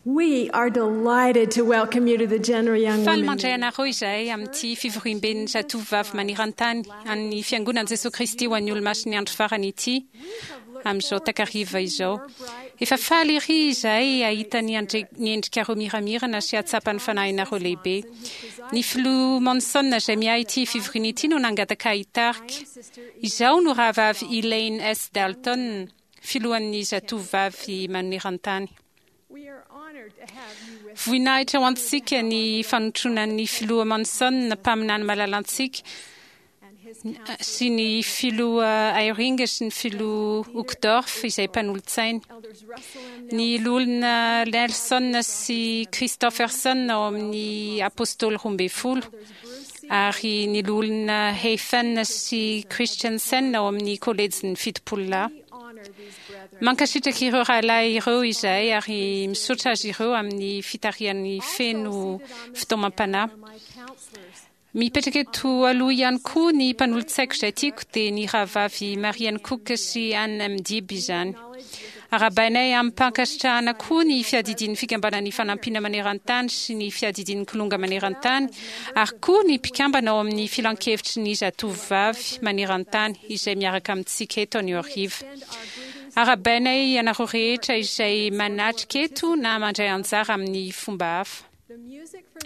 We are delighted to welcome you to the General Young Faly Women. mandray anareo izahay amin'ity fivoriamben'ny zatovovavy maneran-tany an'ny Fiangonan'i Jesoa Kristy ho an'ny Olomasin'ny Andro Farany ity amin'izao takariva izao. Efa faly ery izahay hahita ny ny endrikareo miramirana sy hahatsapa ny fanahinareo lehibe. Ny Filoha Monson izay miahy ity fivoriana ity no nangataka ahy hitarika. Izaho no Rahavavy Elaine S. Dalton, Filohan'ny Zatovovavy maneran-tany. Voninahitra ho antsika ny fanotronan'ny Filoha Monson, mpaminany malalantsika, sy ny Filoha Eyring sy ny Filoha Uchtdorf izay mpanolotsainy. Ny Loholona Nelson sy Christofferson ao amin'ny Apôstôly Roambinifolo ary ny Loholona Heyfen sy Christensen ao amin'ny Kôlejin'ny Fitopololahy. Mankasitraka ireo rahalahy ireo izahay ary misaotra azy ireo amin'ny fitarihany feno fitaomam-panahy. Mipetraka eto aloha ihany koa ny mpanolotsaiko izay tiako dia ny rahavavy Marian Cook sy Ann Mdib izany. Arahabainay amim-pankasitrahana koa ny fiadidian'ny Fikambanan'ny Fanampiana Maneran-tany sy ny fiadidian'ny Kilonga Maneran-tany ary koa ny mpikambana ao amin'ny Filankevitry ny Zatovovavy Maneran-tany izay miaraka amintsika eto anio hariva. Arahabainay ianareo rehetra izay manatrika eto na mandray anjara amin'ny fomba hafa.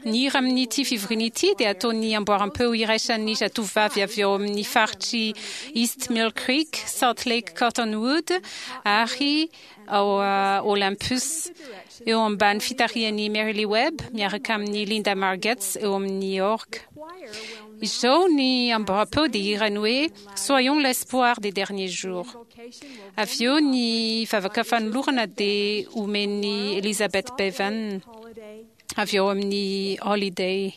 Ny hira amin'ity fivoriana ity dia ataon'ny amboaram-peo iraisan'ny zatovovavy avy ao amin'ny faritr'i East Mill Creek, Salt Lake Cottonwood ary ao Olympus, eo ambany fitarihan'i Mary Lee Webb miaraka amin'i Linda Margetts eo amin'ny orgue. Izao ny amboaram-peo dia hirany hoe Soyons l'espoir des derniers jours. Avy eo ny vavaka fanolorana dia omen'i Elizabeth Bevan avy ao amin'ny Holiday.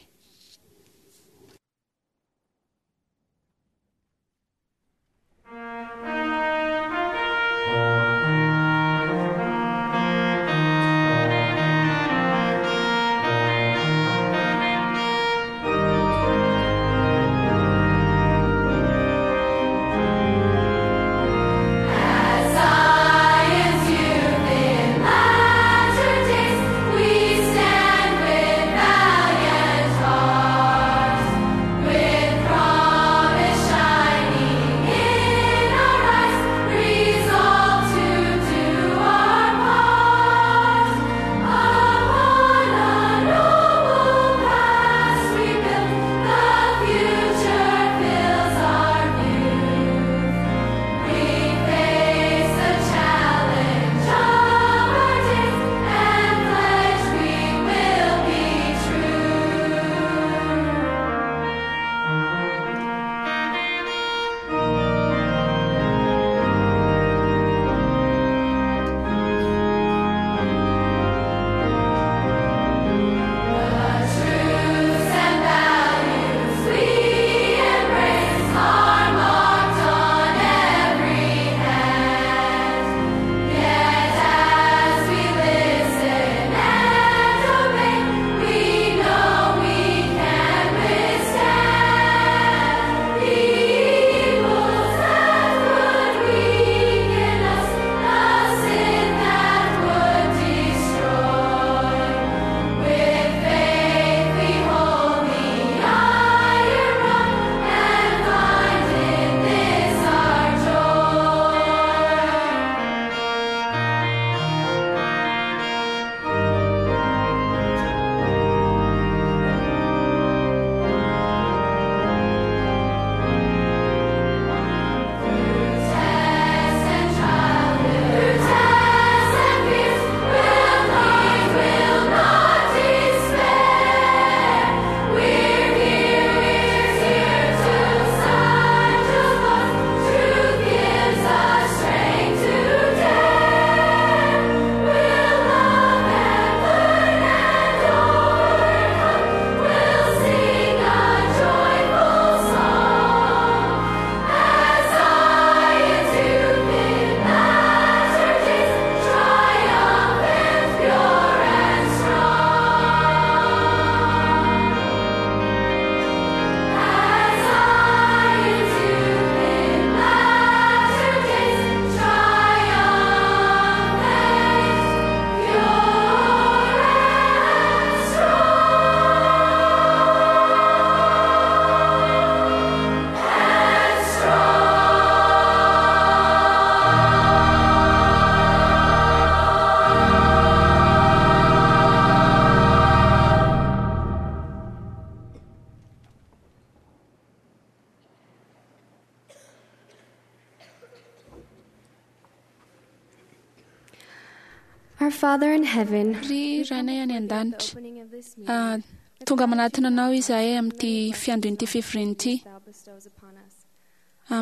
Our Father in heaven, Ry Rainay any an-danitra, tonga manatona anao izahay amin'ity fiandohan'ity fivoriana ity. thou bestows upon us.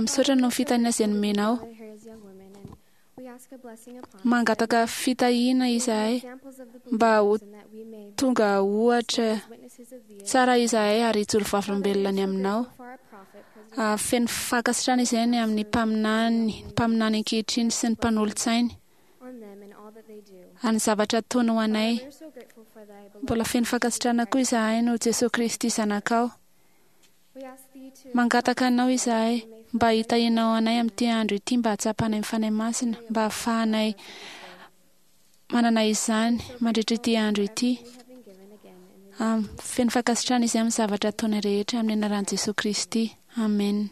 Misaotra noho ny fitahiana izay nomenao. Gather here as young women, and we ask a blessing upon Mangataka fitahiana izahay examples of the mba ho believers and that we may tonga ohatra be witnesses of thee. tsara izahay ary hijoro vavolombelona ny aminao. For our prophet, President Feno fankasitrahana izahay ny amin'ny mpaminany, mpaminany ankehitriny sy ny mpanolotsainy on them and all that they do. ary ny zavatra ataony ho anay. We are so grateful for thy beloved. Mbola feno fankasitrahana koa izahay noho Jesoa Kristy zanakao. We ask thee to Mangataka anao izahay mba hitahianao anay amin'ity andro ity mba hahatsapanay ny Fanahy Masina mba hahafahanay manana izany mandritra ity andro ity. we have been given again in the Feno fankasitrahana izahay amin'ny zavatra ataonay rehetra amin'ny anaran'i Jesoa Kristy. Amen.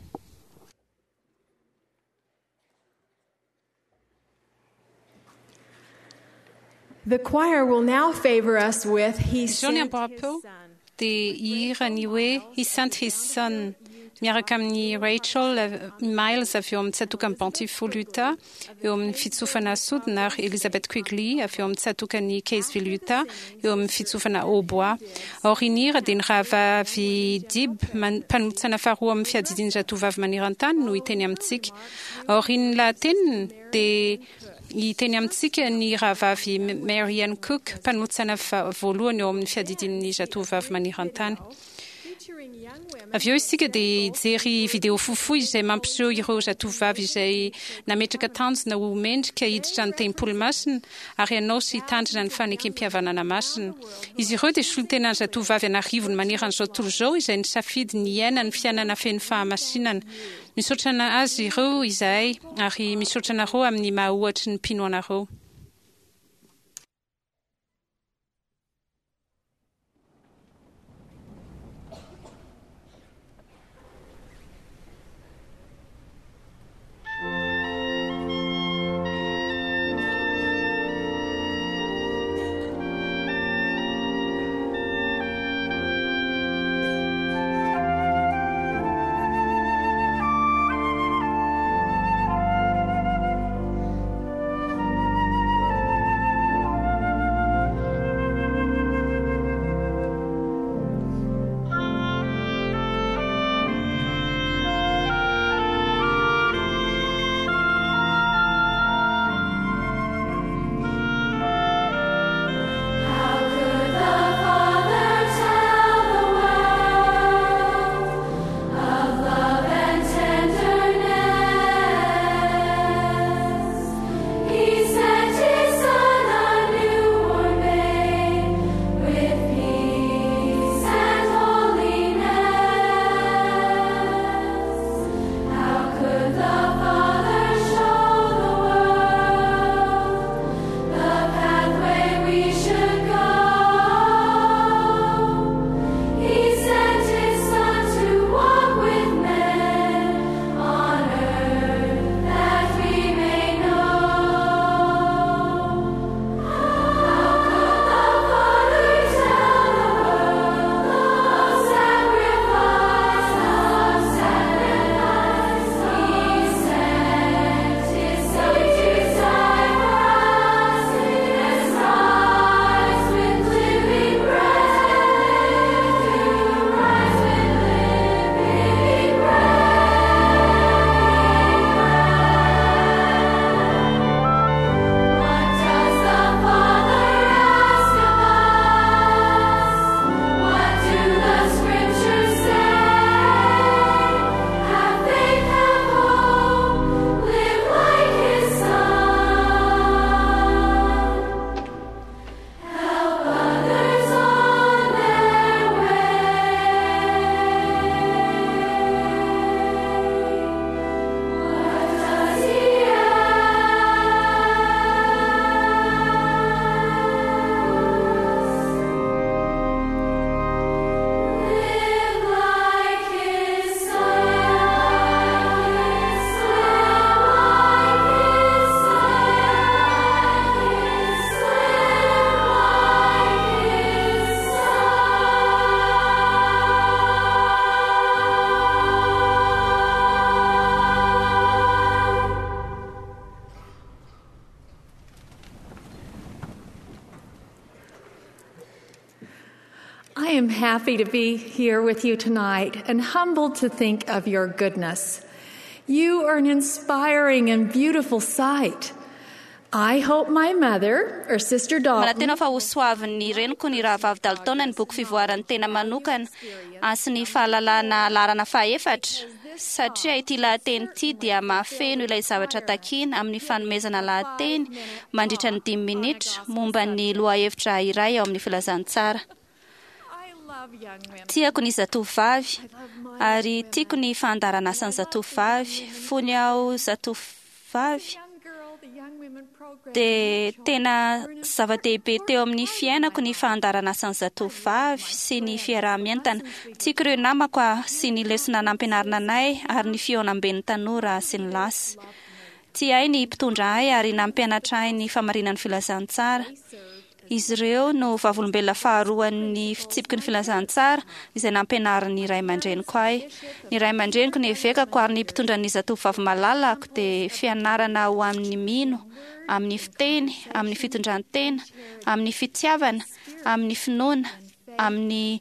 The choir will now favor us with He Izao ny Sent His amboram-peo Son. dia hihira ny hoe He Sent His Son miaraka amin'ny Rachel Miles avy eo amin'ny tsatòkan'ny Bountiful Utah eo amin'ny fitsofana sodina ary Elizabeth Quigley avy eo amin'ny tsatòkan'ny Kaysville Utah eo amin'ny fitsofana hautbois. Aorian'ny hira dia ny rahavavy Dib mpanolotsaina faharoa amin'ny fiadidian'ny zatovavy maneran-tany no hiteny amintsika. Aorian'ny lahateniny dia hiteny amintsika ny rahavavy Mary Ann Cook mpanolotsaina voalohany eo amin'ny fiadidian'ny zatovavy maneran-tany. Featuring young women Avy eo isika dia hijery video fohifohy izay mampiseho ireo zatovavy izay nametraka tanjona ho mendrika hiditra ny tempoly masina ary hanao sy hitandrina ny fanekem-pihavanana masina. Izy ireo dia solontenan'ny zatovavy an'arivony maneran'izao tontolo izao izay nisafidy ny hiaina ny fiainana feno fahamasinana. Misaotra azy ireo izahay ary misaotra anareo amin'ny maha ohatry ny mpino anareo. Thank I am happy to be here with you tonight and humbled to think of your goodness. You are an inspiring and beautiful sight. I hope my mother or Sister Dalton Manantena fa hosoavin'ny reniko ny rahavavy Dalton ny boky fivoaran'ny tena manokana sy ny fahalalana laharana fahefatra, satria ity lahateny ity dia mahafeno ilay zavatra takiana amin'ny fanomezana lahateny mandritra ny 5 minitra momba ny lohahevitra iray ao amin'ny filazantsara. I love young women. Tiako ny zatovovavy ary tiako ny fandaharanasan'ny zatovovavy. Fony aho zatovovavy Young girl, the Young Women program. dia tena zava-dehibe teo amin'ny fiainako ny fandaharanasan'ny zatovovavy sy ny fiaraha-mientana. Tiako ireo namako sy ny lesona nampianarina anay ary ny fihaonamben'ny tanora sy ny lasy. Tia ahy ny mpitondra ahy ary nampianatra ahy ny famarinan'ny filazantsara. Izy ireo no vavolombelona faharoan'ny fitsipiky ny filazantsara izay nampianarin'ny ray aman-dreniko ahy. Ny ray aman-dreniko, ny evekako ary ny mpitondra ny zatovovavy malalako dia fianarana ho amin'ny mino, amin'ny fiteny, amin'ny fitondran-tena, amin'ny fitiavana, amin'ny finoana, amin'ny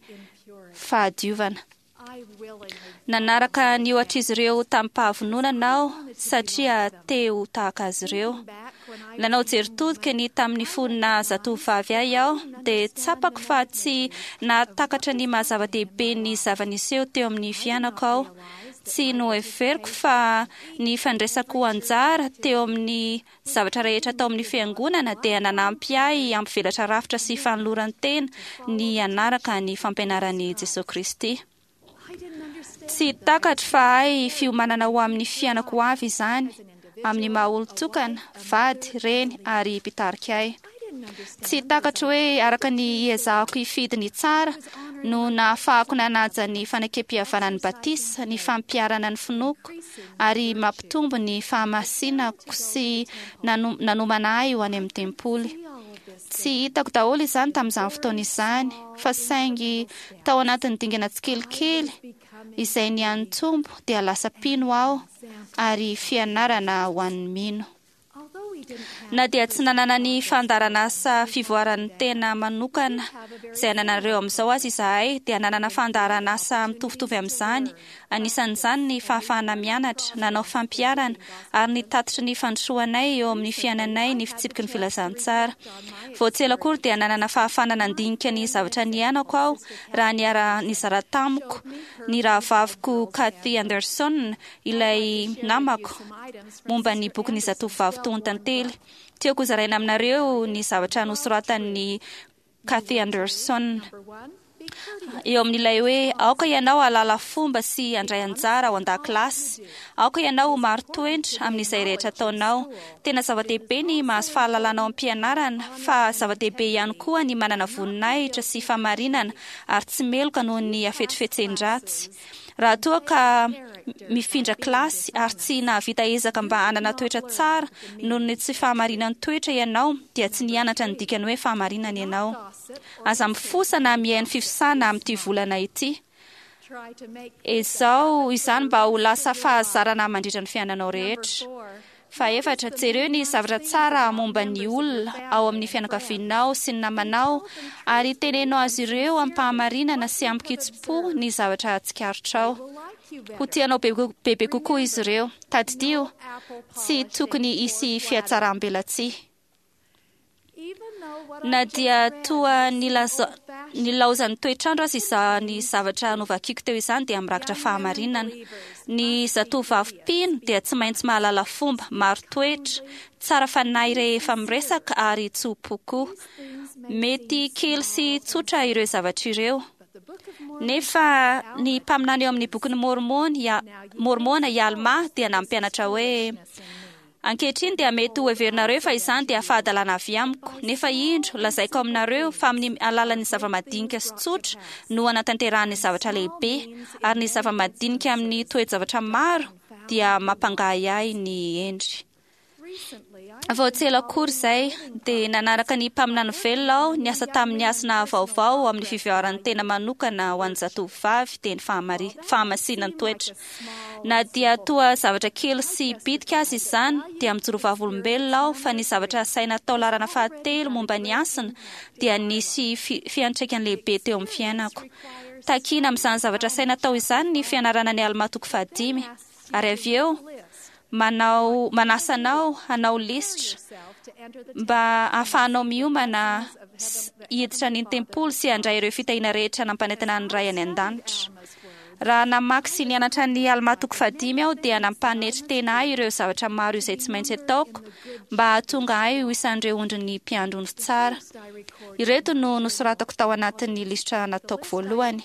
fahadiovana. I willingly Nanaraka ny ohatr'izy ireo tamin'ny-pahavononana aho satria te ho tahaka azy ireo. back when I Nanao jery todika ny tamin'ny fonina zatovovavy ahy aho dia tsapako fa tsy nahatakatra ny maha-zava-dehibe ny zava-niseho teo amin'ny fiainako aho. Tsy noheveriko fa ny fandraisako anjara teo amin'ny zavatra rehetra tao amin'ny fiangonana dia nanampy ahy hampivelatra rafitra sy fanoloran-tena ny hanaraka ny fampianaran'i Jesosy Kristy. I didn't understand Tsy takatro fa ahy fiomanana ho amin'ny fiainako ho avy izany, amin'ny maha olon-tokana, vady, reny ary mpitarika ahy. I didn't understand Tsy takatro hoe araka ny iezahako hifidy ny tsara no nahafahako nanaja ny fanekempihavanan'ny batisa, ny fampiharana ny finoako ary mampitombo ny fahamasinako sy nanomana ahy ho any amin'ny tempoly. Tsy hitako daholo izany tamin'izany fotoana izany, fa saingy tao anatin'ny dingana tsikelikely izay nianitombo dia lasa mpino aho ary fianarana ho an'ny mino. although we didn't have Na dia tsy nanana ny fandaharanasa fivoaran'ny tena manokana izay ananareo amin'izao aza izahay dia nanana fandaharanasa mitovitovy amin'izany, anisan'izany ny fahafahana mianatra, nanao fampiharana ary ny tatitry ny fandrosoanay eo amin'ny fiainanay ny fitsipiky ny filazantsara. Vao tsy ela akory dia nanana fahafahana nandinika ny zavatra niainako aho raha niara-nizara tamiko ny rahavaviko Kathy Anderson, ilay namako, momba ny bokin'ny zatovovavy tohon-tantely. Tiako hozaraina aminareo ny zavatra nosoratan'ny Kathy Anderson. number 1, be courteous. Eo amin'ilay hoe aoka ianao hahalala fomba sy handray anjara ao an-dakilasy. Aoka ianao ho marin-toetra amin'izay rehetra ataonao. Tena zava-dehibe ny mahazo fahalalana ao am-pianarana, fa zava-dehibe ihany koa ny manana voninahitra sy famarinana ary tsy meloka noho ny hafetsifetsen-dratsy. Raha toa ka mifindra kilasy ary tsy nahavita ezaka mba hanana toetra tsara noho ny tsy fahamarinan'ny toetra ianao, dia tsy nianatra ny dikany hoe fahamarinana ianao. Aza mifosa na mihaino fifosana amin'ity volana ity. Try to make Izao izany mba ho lasa fahazarana mandritra ny fiainanao number rehetra. 4. Fahefatra, jereo ny zavatra tsara momba ny olona ao amin'ny fianakavianao sy ny namanao ary teneno azy ireo am-pahamarinana sy am-kitsim-po ny zavatra tsikaritrao. Will like you Ho better. tianao bebe kokoa izy ireo. Tadidio, Apple tsy polish tokony and hisy poor flattery. fihatsaram-belatsihy. Even though what Na I just dia read toa is old-fashioned, nilaozan'ny toetrandro aza izany zavatra novakiko teo izany dia mirakitra fahamarinana. Ny zatovovavy mpino dia tsy maintsy mahalala fomba, maro toetra, tsara fanahy rehefa miresaka ary tso-po koa. things may Mety seem kely sy small, tsotra ireo zavatra ireo. but the Book of Mormon Nefa ny mpaminany eo amin'ny bokin'ny Mormona i Alma dia nampianatra hoe foolishness in me. Ankehitriny dia mety ho heverinareo fa izany dia fahadalana avy amiko, nefa indro lazaiko aminareo fa amin'ny alalan'ny zava-madinika sy tsotra no anatanterahany zavatra lehibe, ary ny zava-madinika amin'ny toe-javatra maro dia mampangahiahy ny endry. Vao tsy ela akory izay dia nanaraka ny mpaminany velona aho niasa tamin'ny hasina vaovao amin'ny fivoaran'ny tena manokana ho an'ny zatovovavy, dia ny fahamasinan'ny toetra. Na dia toa zavatra kely sy bitika aza izany, dia mijoro vavolombelona aho fa ny zavatra asaina atao laharana fahatelo momba ny hasina dia nisy fiantraikany lehibe teo amin'ny fiainako. Takiana amin'izany zavatra asaina atao izany ny fianarana ny Almà toko fahadimy, ary avy eo manao manasa anao hanao lisitra mba hahafahanao miomana hiditra ny tempoly sy handray ireo fitahiana rehetra nampanentana ny Ray any an-danitra. Raha namaky sy nianatra ny Almà toko fahadimy aho dia nampanetry tena ahy ireo zavatra maro izay tsy maintsy ataoko mba hahatonga ahy ho isan'ireo ondrin'ny mpiandry ondry tsara. Ireto no nosoratako tao anatin'ny lisitra nataoko voalohany.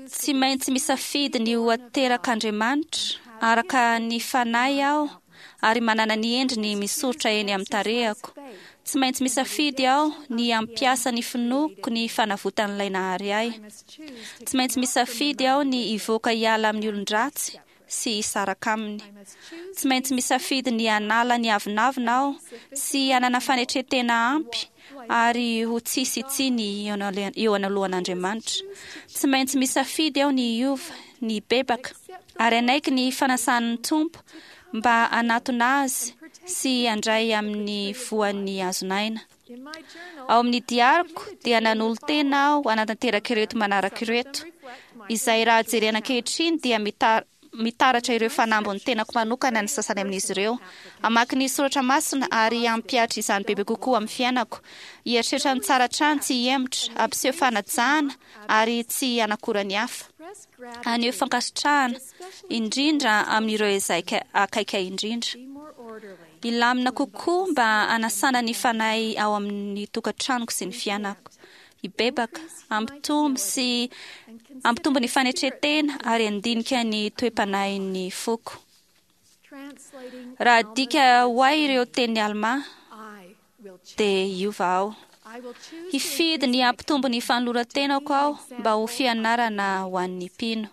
Tsy maintsy misafidy ny ho aterak'Andriamanitra araka ny fanahy aho ary manana ny endriny misoritra eny amin'ny tarehako. Tsy maintsy misafidy aho ny hampiasa ny finoako ny fanavotan'ilay nahary ahy. Tsy maintsy misafidy aho ny hivoaka hiala amin'ny olon-dratsy sy hisaraka aminy. Tsy maintsy misafidy ny hanala ny avonavona aho sy hanana fanetren-tena ampy ary ho tsisy tsiny eo anoloan'Andriamanitra. Tsy maintsy misafidy aho ny hiova, ny hibebaka, ary hanaiky ny fanasan'ny Tompo mba hanatona Azy sy handray amin'ny voan'ny hazon'aina. Ao amin'ny diariko dia nanolo-tena aho hanatanteraka ireto manaraka ireto, izay raha jerena ankehitriny dia mitaratra ireo fanambin'ny tenako manokana ny sasany amin'izy ireo. Hamaky ny soratra masina ary hampihatra izany bebe kokoa amin'ny fiainako. Hieritreritra ny tsara hatrany, tsy hihemotra, hampiseho fanajana ary tsy hanakora ny hafa. Haneho fankasitrahana, indrindra amin'ireo izay akaiky ahy indrindra. Hilamina kokoa mba hanasana ny fanahy ao amin'ny tokantranoko sy ny fiainako. Hibebaka, hampitombo sy hampitombo ny fanetren-tena ary handinika ny toe-panahin'ny foko. Raha adika ho ahy ireo tenin'i Almà, dia hiova aho. Hifidy ny hampitombo ny fanoloran-tenako aho mba ho fianarana ho an'ny mpino.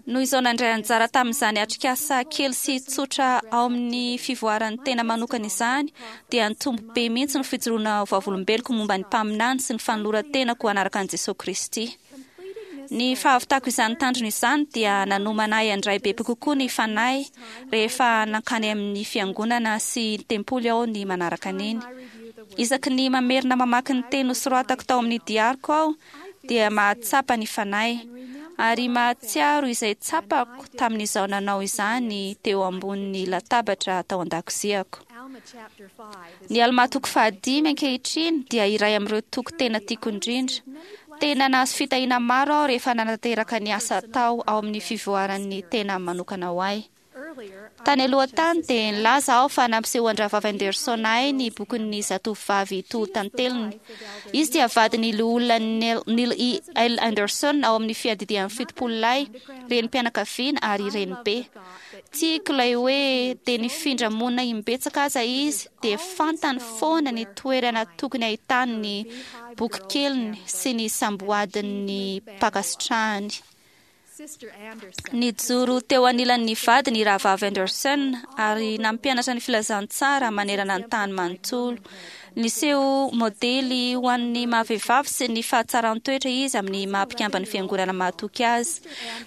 Noho izao nandray anjara tamin'izany atrikasa kely sy tsotra ao amin'ny fivoaran'ny tena manokana izany, dia nitombo be mihitsy ny fijoroana ho vavolombeloko momba ny mpaminany sy ny fanoloran-tenako hanaraka an'i Jesoa Kristy. Ny fahavitako izany tanjona izany dia nanomana ahy handray bebe kokoa ny Fanahy rehefa nankany amin'ny fiangonana sy tempoly aho ny manaraka an'iny. Isaky ny mamerina mamaky ny teny nosoratako tao amin'ny diariko aho dia mahatsapa ny Fanahy ary mahatsiaro izay tsapako tamin'izaho nanao izany teo ambonin'ny latabatra tao an-dakoziako. Ny Almà toko fahadimy ankehitriny dia iray amin'ireo toko tena tiako indrindra. Tena nahazo fitahiana maro aho rehefa nanatanteraka ny asa atao ao amin'ny fivoaran'ny tena manokana ho ahy. Tany aloha tany dia nilaza aho fa nampisehoan-dRahavavy Anderson ahy ny bokin'ny Zatovovavy Toho Tanteliny. Izy dia vadin'ny Loholona Neil E. L. Anderson ao amin'ny Fiadidian'ny Fitopololahy, renim-pianakaviana ary renibe. Tiako ilay hoe dia nifindra monina imbetsaka aza izy dia fantany foana ny toerana tokony ahitany ny bokikeliny sy ny samboadin'ny mpankasitrahany. Nijoro teo anilan'ny vadiny i Rahavavy Anderson ary nampianatra ny filazantsara manerana ny tany manontolo. Niseho modely ho an'ny maha-vehivavy sy ny fahatsaran-toetra izy amin'ny maha-mpikamban'ny Fiangonana mahatoky azy.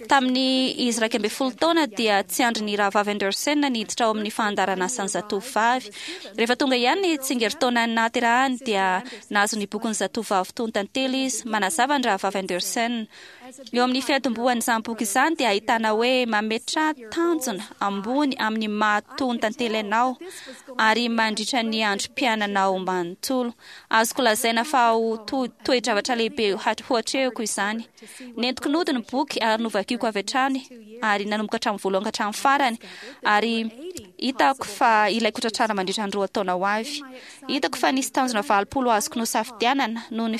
Tamin'ny izy 11 taona dia tsy andrin'ny Rahavavy Anderson ny hiditra ao amin'ny fandaharan'asan'ny zatovovavy. Rehefa tonga ihany ny tsingerin-taona nahaterahany dia nahazo ny bokin'ny Zatovovavy Tony Tantely izy. Manazava ny Rahavavy Anderson. Eo amin'ny fiantombohan'izany boky izany dia ahitana hoe mametraha tanjona ambony amin'ny maha tony tantely anao ary mandritra ny androm-piainanao manontolo. Azoko lazaina fa ho toe-javatra lehibe ho atrehiko izany. Nentiko nody ny boky ary novakiko avy hatrany ary nanomboka hatramin'ny voalohany ka hatramin'ny farany ary hitako fa ilaiko tratrarina mandritra ny 2 taona ho avy. Hitako fa nisy tanjona 80 azoko nosafidianana noho ny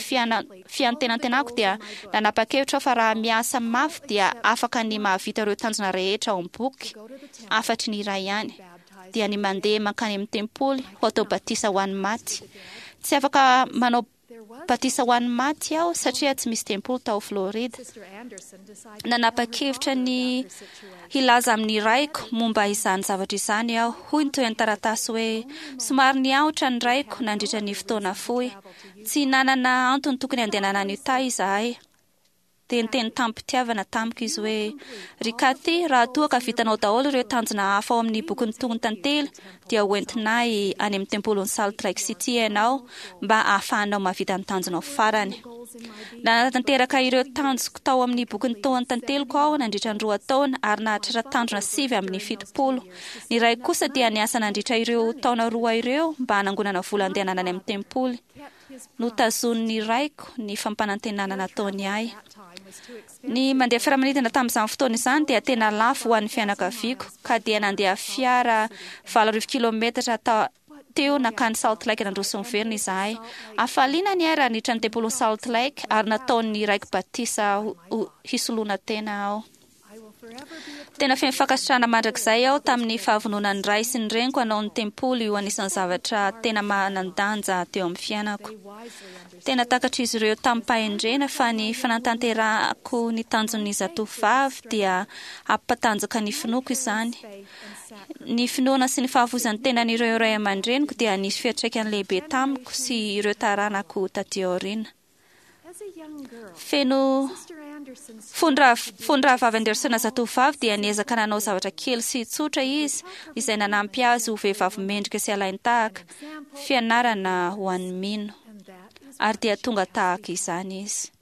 fiantenantenako dia nanapa-kevitra aho fa raha miasa mafy dia afaka ny mahavita ireo tanjona rehetra ao amin'ny boky, afatry ny iray ihany, dia ny mandeha mankany amin'ny tempoly ho atao batisa ho an'ny maty. Tsy afaka manao batisa ho an'ny maty aho satria tsy misy tempoly tao Florida. Nanapa-kevitra ny hilaza amin'ny raiko momba izany zavatra izany aho. Hoy ny tohin'ny taratasy hoe, Somary niahotra ny raiko nandritra ny fotoana fohy. Tsy nanana antony tokony handehanana any Utah izahay. Dia niteny tamim-pitiavana tamiko izy hoe, Ry Kathy, raha toa ka vitanao daholo ireo tanjona hafa ao amin'ny bokin'ny Tonon-tantely, dia hoentinay any amin'ny tempolin'i Salt Lake City ianao mba hahafahanao mahavita ny tanjonao farany. Nanatanteraka ireo tanjoko tao amin'ny bokin'ny Tonon-tanteliko aho nandritra ny 2 taona ary nahatratra tanjona 79. Ny raiko kosa dia niasa nandritra ireo taona 2 ireo mba hanangonana vola handehanana any amin'ny tempoly. Notazonin'ny raiko ny fampanantenana nataony ahy. Ny mandeha fiaramanidina tamin'izany fotoana izany dia tena lafo ho an'ny fianakaviako, ka dia nandeha fiara 80 kilometatra teo nankany Salt Lake nandroso niverina izahay. Hafaliana ny ahy raha niditra ny tempolin'i Salt Lake ary nataon'ny raiko batisa hisoloana tena aho. Tena feno fankasitrahana mandrakizay aho tamin'ny fahavononan'ny ray sy ny reniko hanao ny tempoly ho anisan'ny zavatra tena manan-danja teo amin'ny fiainako. Tena takatr'izy ireo tamim-pahendrena fa ny fanatanterahako ny tanjon'ny zatovovavy dia hampatanjaka ny finoako izany. Ny finoana sy ny fahafoizan'ny tenan'ireo ray aman-dreniko dia nisy fiantraikany lehibe tamiko sy ireo taranako taty aoriana. Feno fony rahavavy Anderson zatovovavy dia niezaka nanao zavatra kely sy tsotra izy izay nanampy azy ho vehivavy mendrika sy alain-tahaka, fianarana ho an'ny mino. Ary dia tonga tahaka izany izy.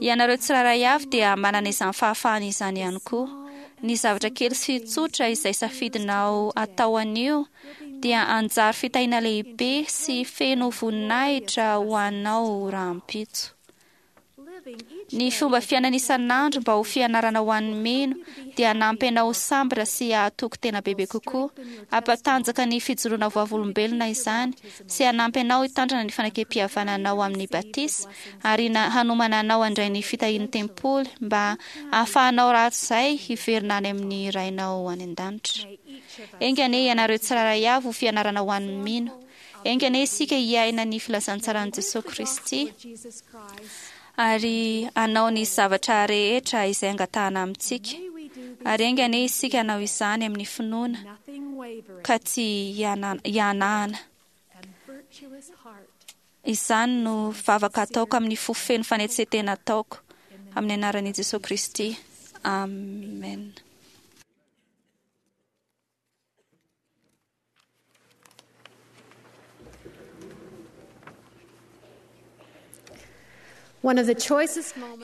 Ianareo tsirairay avy dia manana izany fahafahana izany ihany koa. Ny zavatra kely sy tsotra izay safidinao atao anio dia anjary fitahiana lehibe sy feno voninahitra ho anao rahampitso. Ny fomba fiainana isan'andro mba ho fianarana ho an'ny mino dia hanampy anao ho sambatra sy hahatoky tena bebe kokoa. Hampatanjaka ny fijoroana vavolombelona izany sy hanampy anao hitandrina ny fanekem-pihavananao amin'ny batisa ary hanomana anao handray ny fitahian'ny tempoly mba hahafahanao rahatrizay hiverina any amin'ny Rainao any an-danitra. Enga anie ianareo tsirairay avy ho fianarana ho an'ny mino. Enga anie isika hiaina ny filazantsaran'i Jesoa Kristy ary hanao ny zavatra rehetra izay angatahana amintsika. Ary enga anie isika hanao izany amin'ny finoana ka tsy hihanahana. Izany no vavaka ataoko amin'ny fo feno fanetsen-tena ataoko amin'ny anaran'i Jesoa Kristy. Amen.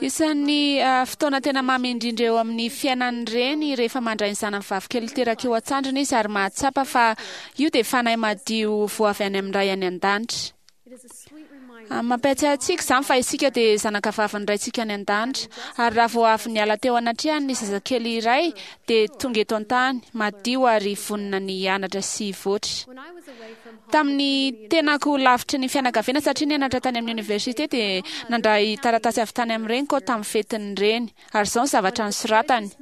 Isan'ny fotoana tena mamy indrindra eo amin'ny fiainan'ny reny rehefa mandray ny zanany vavikely teraka eo an-tsandriny izy ary mahatsapa fa io dia fanahy madio voa avy any amin'ny Ray any an-danitra. Mampiatsiahy antsika izany fa isika dia zanaka vavin'ny Raintsika any an-danitra. Ary raha vao avy niala teo anatrehany ny zazakely iray dia tonga eto an-tany, madio ary vonona ny hianatra sy hivoatra. Tamin'ny tenako lavitry ny fianakaviana satria nianatra tany amin'ny oniversite dia nandray taratasy avy tany amin'ny reniko aho tamin'ny fetin'ny reny. Ary izao ny zavatra nosoratany.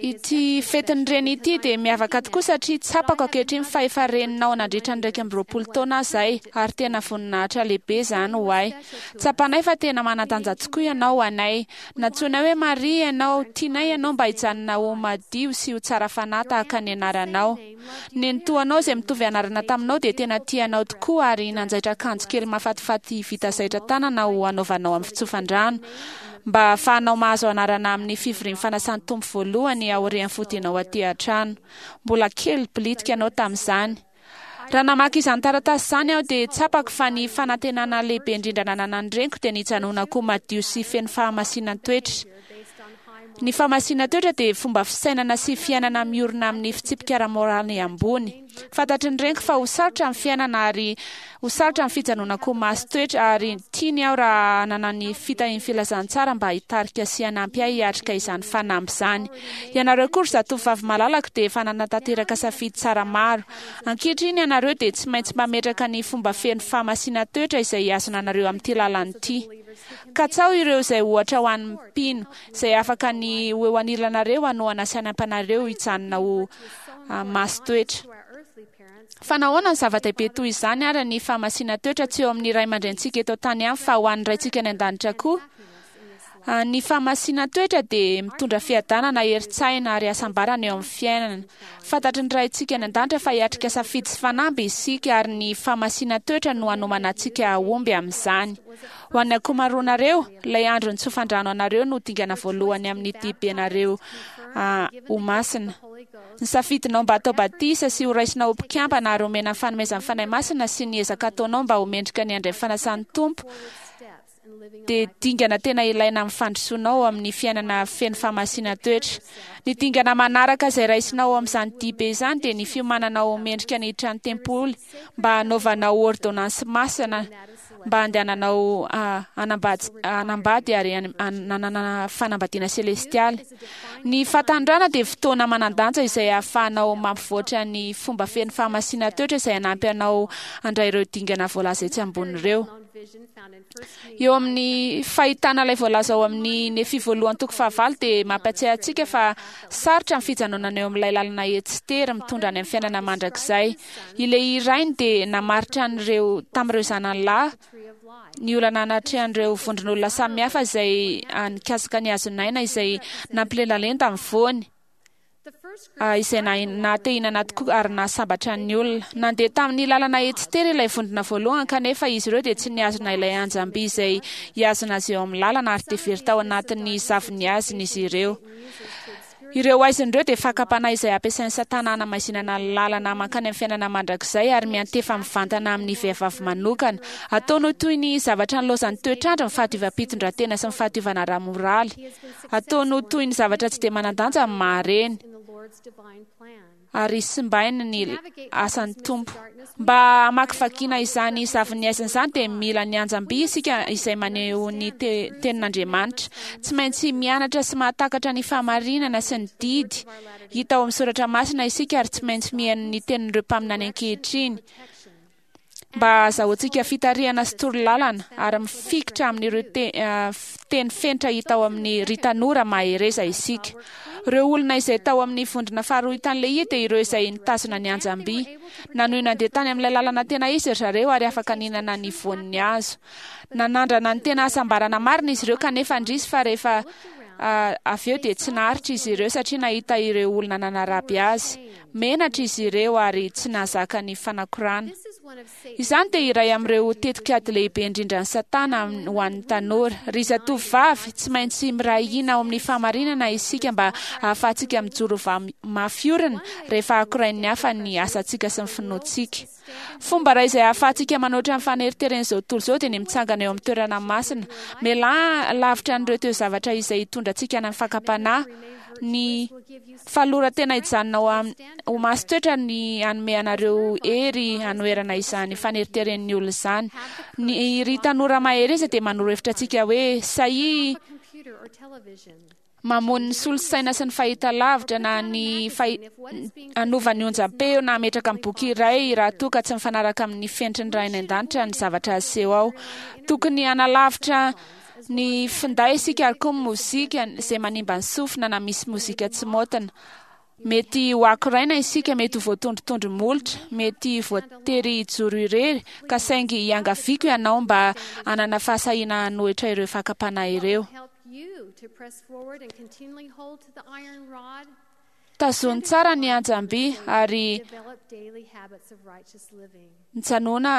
Ity fetin'ny reny ity dia miavaka tokoa satria tsapako ankehitriny fa efa reninao nandritra ny 21 taona aho izay ary tena voninahitra lehibe izany ho ahy. Tsapanay fa tena manan-danja tokoa ianao ho anay. Nantsoinay hoe Maria ianao, tianay ianao mba hijanona ho madio sy ho tsara fanahy tahaka ny anaranao. Nenitoanao izay mitovy anarana taminao dia tena tia anao tokoa ary nanjaitra akanjo kely mahafatifaty vita zaitra tanana ho hanaovanao amin'ny fitsofan-drano. Mba hahafahanao mahazo anarana amin'ny fivorian'ny fanasan'ny Tompo voalohany aorian'ny fodianao aty an-trano. Mbola kely bilitika ianao tamin'izany. Raha namaky izany taratasy izany aho dia tsapako fa ny fanantenana lehibe indrindra nananan'ny reniko dia ny hijanonako madio sy feno fahamasinan-toetra. Ny fahamasinan-toetra dia fomba fisainana sy fiainana miorina amin'ny fitsipika ara-moraly ambony. Fantatry ny reniko fa ho sarotra ny fiainana ary ho sarotra ny fijanonako ho masin-toetra ary tiany aho raha hanana ny fitahian'ny filazantsara mba hitarika sy hanampy ahy hiatrika izany fanamby izany. Ianareo koa ry zatovovavy malalako dia efa nanatanteraka safidy tsara maro. Ankehitriny ianareo dia tsy maintsy mametraka ny fomba feno fahamasinan-toetra izay hihazona anareo amin'ity lalana ity. Katsaho ireo izay ohatra ho an'ny mpino, izay afaka ny ho eo anilanareo hanohana sy hanampy anareo hijanona ho masin-toetra. Fa nahoana ny zava-dehibe toy izany ary ny fahamasinan-toetra tsy eo amin'ny ray aman-drenintsika eto an-tany ihany fa ho an'ny Raintsika any an-danitra koa? Ny fahamasinan-toetra dia mitondra fiadanana, herin-tsaina ary hasambarana eo amin'ny fiainana. Fantatry ny Raintsika any an-danitra fa hiatrika safidy sy fanamby isika ary ny fahamasinan-toetra no hanomana antsika hahomby amin'izany. Ho an'ny ankomaroanareo, ilay andro nitsofan-drano anareo no dingana voalohany amin'ny dibenareo ho masina. Ny safidinao mba hatao batisa sy ho raisina ho mpikambana ary homena ny fanomezan'ny Fanahy Masina sy ny ezaka ataonao mba ho mendrika ny handray ny fanasan'ny Tompo dia dingana tena ilaina amin'ny fandrosoanao ao amin'ny fiainana feno fahamasinan-toetra. Ny dingana manaraka izay raisinao ao amin'izany dibe izany dia ny fiomananao ho mendrika ny hiditra ny tempoly mba hanaovanao ôrdônansy masina mba handehananao hanambady hanambady ary hananana fanambadiana selestialy. Ny fahatanorana dia fotoana manan-danja izay ahafahanao mampivoatra ny fomba feno fahamasinan-toetra izay hanampy anao handray ireo dingana voalaza etsy ambony ireo. Eo amin'ny fahitana ilay voalaza ao amin'ny Nefia voalohany toko fahavalo dia mampatsiahy antsika fa sarotra ny fijanonana eo amin'ilay lalana etsy tery mitondra any amin'ny fiainana mandrakizay. Ilay rainy dia namaritra an'ireo tamin'ireo zanany lahy ny olana natrehan'ireo vondron'olona samihafa izay nikasika ny hazon'aina izay nampilentalenta ny voany, izay naha-te-hihinana tokoa ary nahasambatra ny olona. Nandeha tamin'ny lalana etsy tery ilay vondrona voalohany kanefa izy ireo dia tsy nihazona ilay anjam-by izay hihazona azy eo amin'ny lalana ary dia very tao anatin'ny zavon'ny hazina izy ireo. Ireo haizina ireo dia fakam-panahy izay ampiasain'i Satana hanamaizinana ny lalana mankany amin'ny fiainana mandrakizay ary miantefa mivantana amin'ny vehivavy manokana. Ataony ho toy ny zavatra nilaozan'ny toetr'andro ny fahadiovam-pitondrantena sy ny fahadiovana ara-moraly. Ataony ho toy ny zavatra tsy dia manan-danja ny maha-reny. Ary simbainy ny asan'ny Tompo. Mba hamakivakiana izany zavon'ny haizina izany dia mila ny anjam-by isika izay maneho ny tenin'Andriamanitra. Tsy maintsy mianatra sy mahatakatra ny fahamarinana sy ny didy hita ao amin'ny soratra masina isika ary tsy maintsy mihaino ny tenin'ireo mpaminany ankehitriny. Mba hahazahoantsika fitarihana sy torolalana ary mifikitra amin'ireo teny fenitra hita ao amin'ny Ry Tanora Mahereza isika. Ireo olona izay tao amin'ny vondrona faharoa hitan'i Lehia dia ireo izay nitazona ny anjam-by. Nanohy nandeha tany amin'ilay lalana tena izy ry zareo ary afaka nihinana ny voan'ny hazo. Nanandrana ny tena hasambarana marina izy ireo kanefa indrisy fa rehefa avy eo dia tsy naharitra izy ireo satria nahita ireo olona nanaraby azy. Menatra izy ireo ary tsy nahazaka ny fanakorana. Izany dia iray amin'ireo tetikady lehibe indrindran'i Satana ho an'ny tanora. Ry zatovovavy, tsy maintsy miray hina ao amin'ny fahamarinana isika mba hahafahantsika mijoro mafy orina rehefa akorain'ny hafa ny asantsika sy ny finoantsika. Fomba iray izay ahafahantsika manoatra ny faneriteren'izao tontolo izao dia ny mitsangana eo amin'ny toerana masina. Mialà lavitra an'ireo toe-zavatra izay hitondra antsika any amin'ny fakam-panahy. Ny fanoloran-tena hijanona ho ho masin-toetra ny hanome anareo hery hanoherana izany faneriteren'ny olona izany. Ny ry tanora mahereza dia manoro hevitra antsika hoe sahia mamono ny solosaina sy ny fahitalavitra na ny hanova ny onjam-peo na hametraka ny boky iray raha toa ka tsy mifanaraka amin'ny fenitry ny Ray any An-danitra ny zavatra aseho ao. Tokony hanalavitra ny finday isika ary koa ny mozika izay manimba ny sofina na misy mozika tsy maotina. Mety ho akoraina isika, mety ho voatondrotondro molotra, mety voatery hijoro irery, ka saingy iangaviako ianao mba hanana fahasahiana hanohitra ireo fakam-panahy ireo. Tazony tsara ny anjam-by ary mijanòna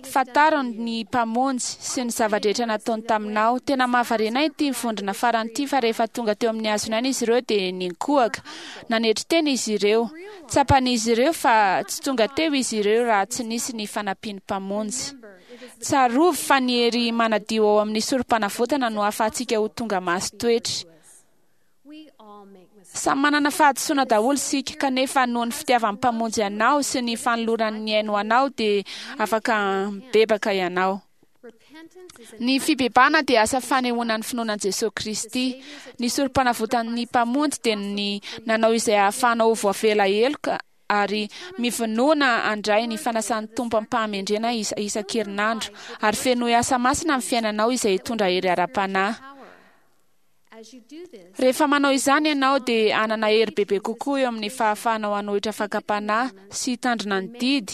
fantaro ny Mpamonjy sy ny zava-drehetra nataony taminao. Tena mahavariana ahy ity vondrona farany ity fa rehefa tonga teo amin'ny hazon'aina izy ireo dia ninkohaka. Nanetry tena izy ireo. Tsapan'izy ireo fa tsy tonga teo izy ireo raha tsy nisy ny fanampian'ny Mpamonjy. Tsarovy fa ny hery manadio ao amin'ny Sorompanavotana no ahafahantsika ho tonga masin-toetra. Samy manana fahadisoana daholo isika, kanefa noho ny fitiavan'ny Mpamonjy anao sy ny fanolorany ny ainy ho anao dia afaka mibebaka ianao. Ny fibebahana dia asa fanehoana ny finoana an'i Jesoa Kristy. Ny Sorompanavotan'ny Mpamonjy dia ny nanao izay hahafahanao ho voavela heloka ary mivonona handray ny fanasan'ny Tompo am-pahamendrena isan-kerinandro, ary fenoy asa masina ny fiainanao izay hitondra hery ara-panahy. Rehefa manao izany ianao dia hanana hery bebe kokoa eo amin'ny fahafahanao hanohitra fakam-panahy sy hitandrina ny didy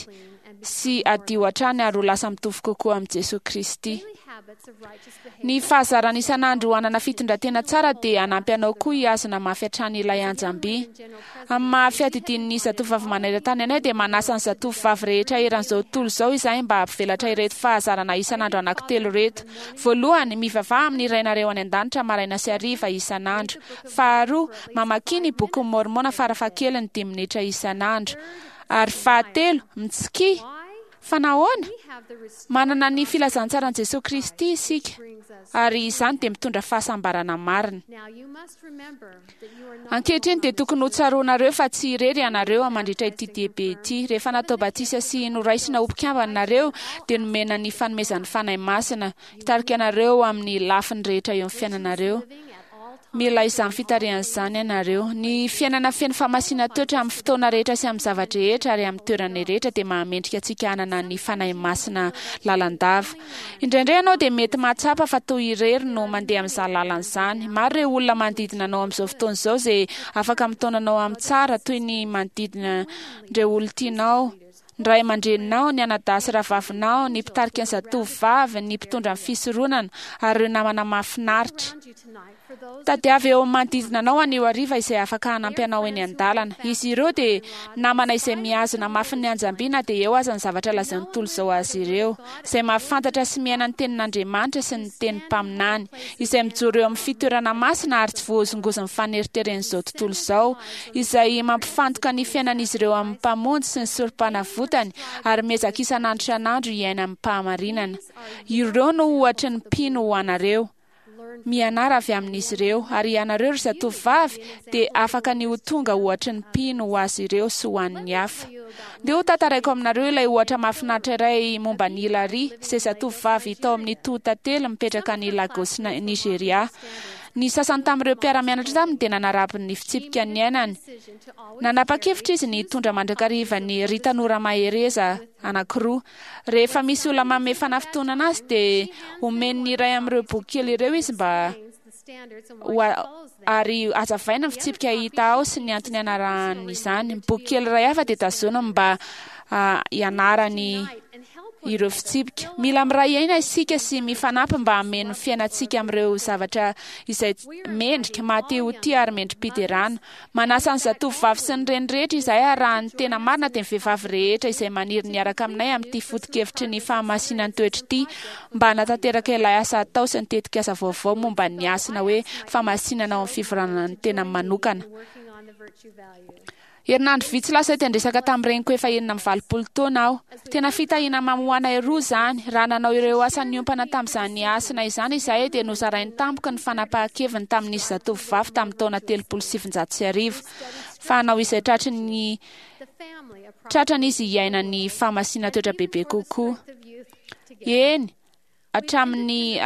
sy hadio hatrany ary ho lasa mitovy kokoa amin'i Jesoa Kristy. Ny fahazarana isan'andro hanana fitondran-tena tsara dia hanampy anao koa hihazona mafy hatrany ilay anjam-by. Amin'ny maha fiadidian'ny Zatovovavy maneran-tany anay dia manasa ny zatovovavy rehetra eran'izao tontolo izao izahay mba hampivelatra ireto fahazarana isan'andro anankitelo ireto. Voalohany, mivavaha amin'ny Rainareo any An-danitra maraina sy hariva isan'andro. Faharoa, mamakia ny Bokin'i Môrmôna farafahakeliny dimy minitra isan'andro. Ary fahatelo, mitsikia. Fa nahoana? Manana ny filazantsaran'i Jesoa Kristy isika, ary izany dia mitondra fahasambarana marina. Ankehitriny dia tokony ho tsaroanareo fa tsy irery ianareo mandritra ity diabe ity. Rehefa natao batisa sy noraisina ho mpikambana nareo, dia nomena ny fanomezan'ny Fanahy Masina hitarika anareo amin'ny lafiny rehetra eo amin'ny fiainanareo. Mila izany fitarihana izany ianareo. Ny fiainana feno fahamasinan-toetra amin'ny fotoana rehetra sy amin'ny zava-drehetra ary amin'ny toerana rehetra dia mahamendrika antsika hanana ny Fanahy Masina lalandava. Indraindray ianao dia mety mahatsapa fa toa irery no mandeha amin'izany lalana izany. Maro ireo olona manodidina anao amin'izao fotoana izao izay afaka mitaona anao amin'ny tsara, toy ny manodidina ireo olon-tianao, ny ray aman-dreninao, ny anadahy sy rahavavinao, ny mpitarika ny zatovovavy, ny mpitondra ny fisoronana, ary ireo namana mahafinaritra. Tadiavo eo amin'ny manodidina anao anio hariva izay afaka hanampy anao eny an-dalana. Izy ireo dia namana izay mihazona mafy ny anjam-by na dia eo aza ny zavatra lazain'ny tontolo izao azy ireo, izay mahafantatra sy miaina ny tenin'Andriamanitra sy ny tenin'ny mpaminany, izay mijoro eo amin'ny fitoerana masina ary tsy voahozongozon'ny faneriteren'izao tontolo izao, izay mampifantoka ny fiainan'izy ireo amin'ny Mpamonjy sy ny Sorompanavotany ary miezaka isan'andro isan'andro hiaina amim-pahamarinana. Ireo no ohatry ny mpino ho anareo. Mianara avy amin'izy ireo, ary ianareo ry zatovovavy dia afaka ny ho tonga ohatry ny mpino ho azy ireo sy ho an'ny hafa. Ndeha ho tantaraiko aminareo ilay ohatra mahafinaritra iray momba an'i Hilary, izay zatovovavy tao amin'ny Toho-tantely mipetraka any Lagos, Nigeria. Ny sasany tamin'ireo mpiara-mianatra taminy dia nanaraby ny fitsipika niainany. Nanapa-kevitra izy ny hitondra mandrakariva ny Ry Tanora Mahereza anankiroa. Rehefa misy olona manome fanafintohinana azy dia omeny ny iray amin'ireo boky kely ireo izy mba ho ary hazavaina ny fitsipika hita ao sy ny antony anarahany izany. Ny boky kely iray hafa dia tazoniny mba hianarany ireo fitsipika. Mila miray aina isika sy mifanampy mba hameno ny fiainantsika amin'ireo zavatra izay mendrika, maha-te ho tia ary mendri-piderana. Manasa ny zatovovavy sy ny reny rehetra izahay ary raha ny tena marina dia ny vehivavy rehetra izay maniry ny hiaraka aminay amin'ity foto-kevitry ny fahamasinan'ny-toetra ity mba hanatanteraka ilay asa atao sy ny tetikasa vaovao momba ny hasina hoe fahamasinana ao amin'ny fivoranana ny tenany manokana. Herinandro vitsy lasa izay dia niresaka tamin'ny reniko efa 86 taona aho. Tena fitahiana mamy ho anay roa izany. Raha nanao ireo asa niompana tamin'izany hasina izany izahay dia nozarainy tampoka ny fanapahan-keviny tamin'izy zatovovavy tamin'ny taona 1930 fa hanao izay tratry ny tratrany izy hiaina ny fahamasinan-toetra bebe kokoa. Eny, hatramin'ny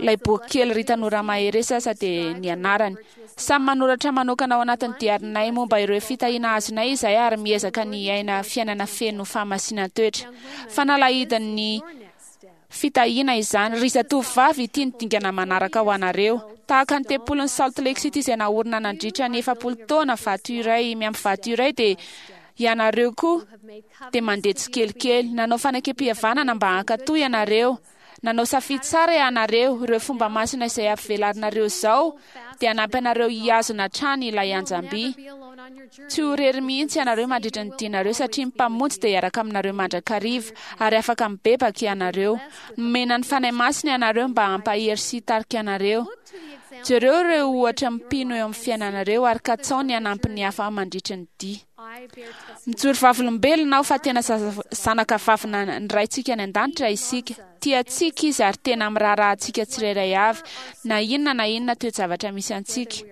ilay boky kely Ry Tanora Mahereza aza dia ny anarany. Samy manoratra manokana ao anatin'ny diarinay momba ireo fitahiana azonay izahay ary miezaka ny hiaina fiainana feno fahamasinan-toetra. Fanalahidin'ny fitahiana izany. Ry zatovovavy, ity ny dingana manaraka ho anareo. Tahaka ny tempolin'i Salt Lake City izay naorina nandritra ny 40 taona, vato iray miampy vato iray dia Ianareo koa dia mandeha tsikelikely. Nanao fanekempihavanana mba hankatò ianareo. Nanao safidy tsara ianareo. Ireo fomba masina izay ampivelarinareo izao dia hanampy anareo hihazona hatrany ilay anjam-by. Tsy ho irery mihitsy ianareo mandritra ny dianareo satria ny Mpamonjy dia hiaraka aminareo mandrakariva, ary afaka mibebaka ianareo. Nomena ny Fanahy Masina ianareo mba hampahery sy hitarika anareo. Jereo ireo ohatra mpino eo amin'ny fiainanareo ary katsaho ny hanampy ny hafa mandritry ny dia. Mijoro vavolombelona aho fa tena zanaka vavina ny Raintsika any An-danitra isika. Tia antsika Izy ary tena miraharaha antsika tsirairay avy, na inona na inona toe-javatra misy antsika.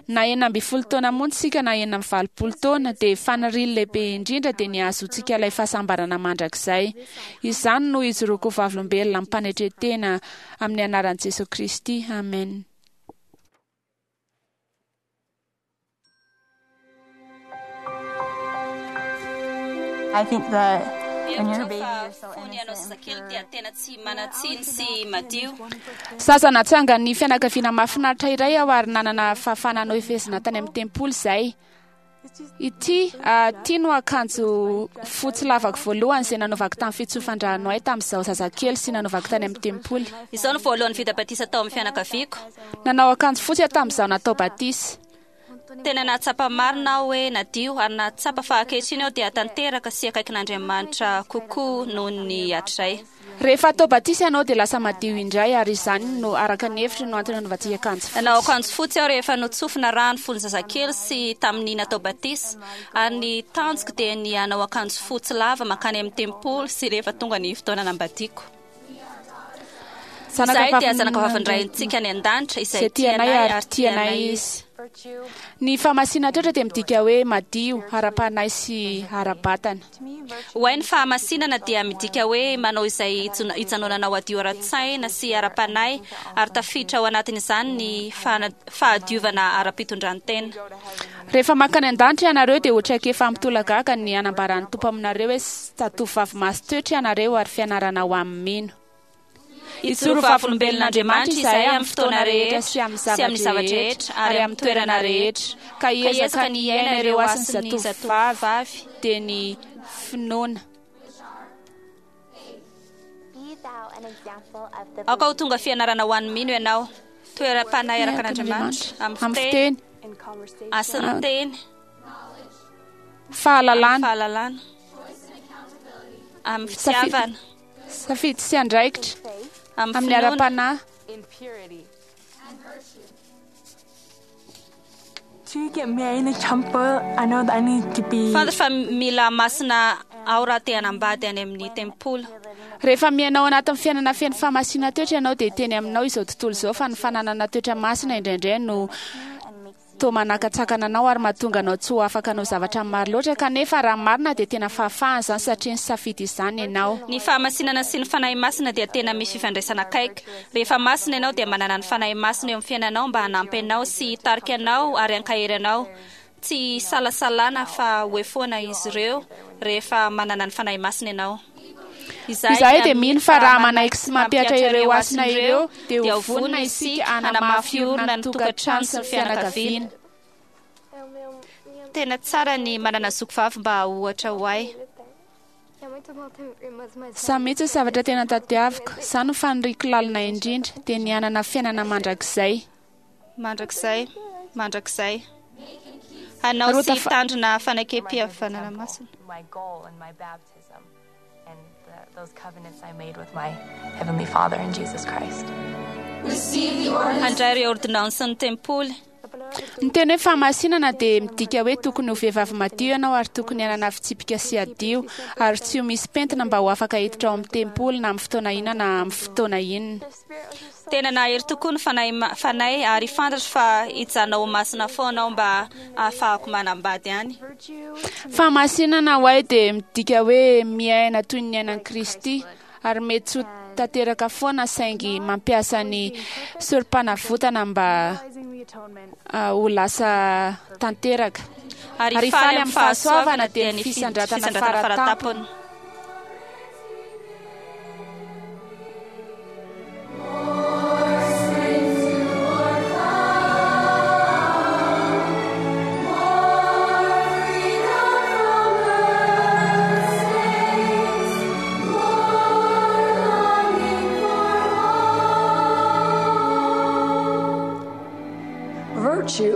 Na 16 taona monja isika na 86 taona, dia faniriany lehibe indrindra dia ny hahazoantsika ilay fahasambarana mandrakizay. Izany no ijoroako ho vavolombelona amim-panetren-tena amin'ny anaran'i Jesoa Kristy, amena. I think that Mihevitra aho fa fony ianao zazakely dia tena tsy manan-tsiny sy madio. Zaza natsangan'ny fianakaviana mahafinaritra iray aho ary nanana fahafahana hanao efezina tany amin'ny tempoly izay. Ity, ity no akanjo fotsy lavako voalohany izay nanaovako tamin'ny fitsofan-drano ahy tamin'izaho zazakely sy nanaovako tany amin'ny tempoly. Izaho no voalohany vita batisa tao amin'ny fianakaviako. Nanao akanjo fotsy aho tamin'izaho natao batisa. Tena nahatsapa marina aho hoe nadio ary nahatsapa fa ankehitriny aho dia tanteraka sy akaikin'Andriamanitra kokoa noho ny hatrizay. Rehefa atao batisa ianao dia lasa madio indray ary izany no araka ny hevitro no antony anaovantsika akanjo fotsy. Nanao akanjo fotsy aho rehefa notsofina rano fony zazakely sy tamin'ny natao batisa ary ny tanjoko dia ny hanao akanjo fotsy lava mankany amin'ny tempoly sy rehefa tonga ny fotoana nanambadiako. Izahay dia zanakavavin'ny Raintsika any an-danitra izay Izay tia anay ary tia anay Izy. Ny fahamasinan-toetra dia midika hoe madio ara-panahy sy ara-batana. Ho ahy ny fahamasinana dia midika hoe manao izay hijanonana ho hadio ara-tsaina sy ara-panahy ary tafiditra ao anatin'izany ny fahadiovana ara-pitondran-tena. Rehefa mankany an-danitra ianareo dia ho traikefa mitolagaga ny hanambaran'ny Tompo aminareo hoe zatovovavy masin-toetra ianareo ary fianarana ho amin'ny mino. Hijoro vavolombelon'Andriamanitra izahay amin'ny fotoana rehetra sy amin'ny zava-drehetra ary amin'ny toerana rehetra, ka hiezaka ny hiaina ireo hasin'ny zatovovavy, dia ny finoana. Aoka ho tonga fianarana ho an'ny mino ianao, toeram-panahy araka an'Andriamanitra, amin'ny fiteny, hasin'ny teny, fahalalana, fahalalana, amin'ny fitiavana, safidy sy andraikitra, amin'ny ara-panahy. To get married in the temple, I know that I need to be. Fantatro fa mila masina aho raha te hanambady any amin'ny tempoly. Rehefa miaina ao anatin'ny fiainana feno fahamasinana toetra ianao dia hiteny aminao izao tontolo izao fa ny fananana toetra masina indraindray no toa manakatsakana anao ary mahatonga anao tsy ho afaka hanao zavatra maro loatra, kanefa raha marina dia tena fahafahana izany satria nisafidy izany ianao. Ny fahamasinana sy ny Fanahy Masina dia tena misy fifandraisana akaiky. Rehefa masina ianao dia manana ny Fanahy Masina eo amin'ny fiainanao mba hanampy anao sy hitarika anao ary hankahery anao. Tsy isalasalana fa ho eo foana izy ireo rehefa manana ny Fanahy Masina ianao. Izahay dia mino fa raha manaiky sy mampihatra ireo hasina ireo dia ho vonona isika hanamafy orina ny tokantrano sy ny fianakaviana. Tena tsara ny manana zoky vavy mba ohatra ho ahy. Izaho mihitsy ny zavatra tena tadiaviko, izaho no faniriako lalina indrindra, dia ny hanana fiainana mandrakizay. Mandrakizay, mandrakizay. Hanao sy hitandrina fanekem-pihavanana masina. My goal and my baptism and those covenants I made with my Heavenly Father and Jesus Christ. Handray ireo ôrdônansin'ny tempoly. Ny teny hoe fahamasinana dia midika hoe tokony ho vehivavy madio ianao ary tokony hanana fitsipika sy hadio ary tsy ho misy pentina mba ho afaka hiditra ao amin'ny tempoly na amin'ny fotoana inona na amin'ny fotoana inona. Tena nahery tokoa ny fanahy fanahy ary fantatro fa hijanona ho masina foana aho mba hahafahako manambady any. Fahamasinana ho ahy dia midika hoe miaina toy ny niainan'i Kristy ary mety tsy ho tanteraka foana saingy mampiasa ny sorom-panavotana mba ho lasa tanteraka. Ary Ary hifaly hifaly amin'ny amin'ny fahasoavana fahasoavana dia dia ny ny fisandratana fisandratana faratampony. faratampony.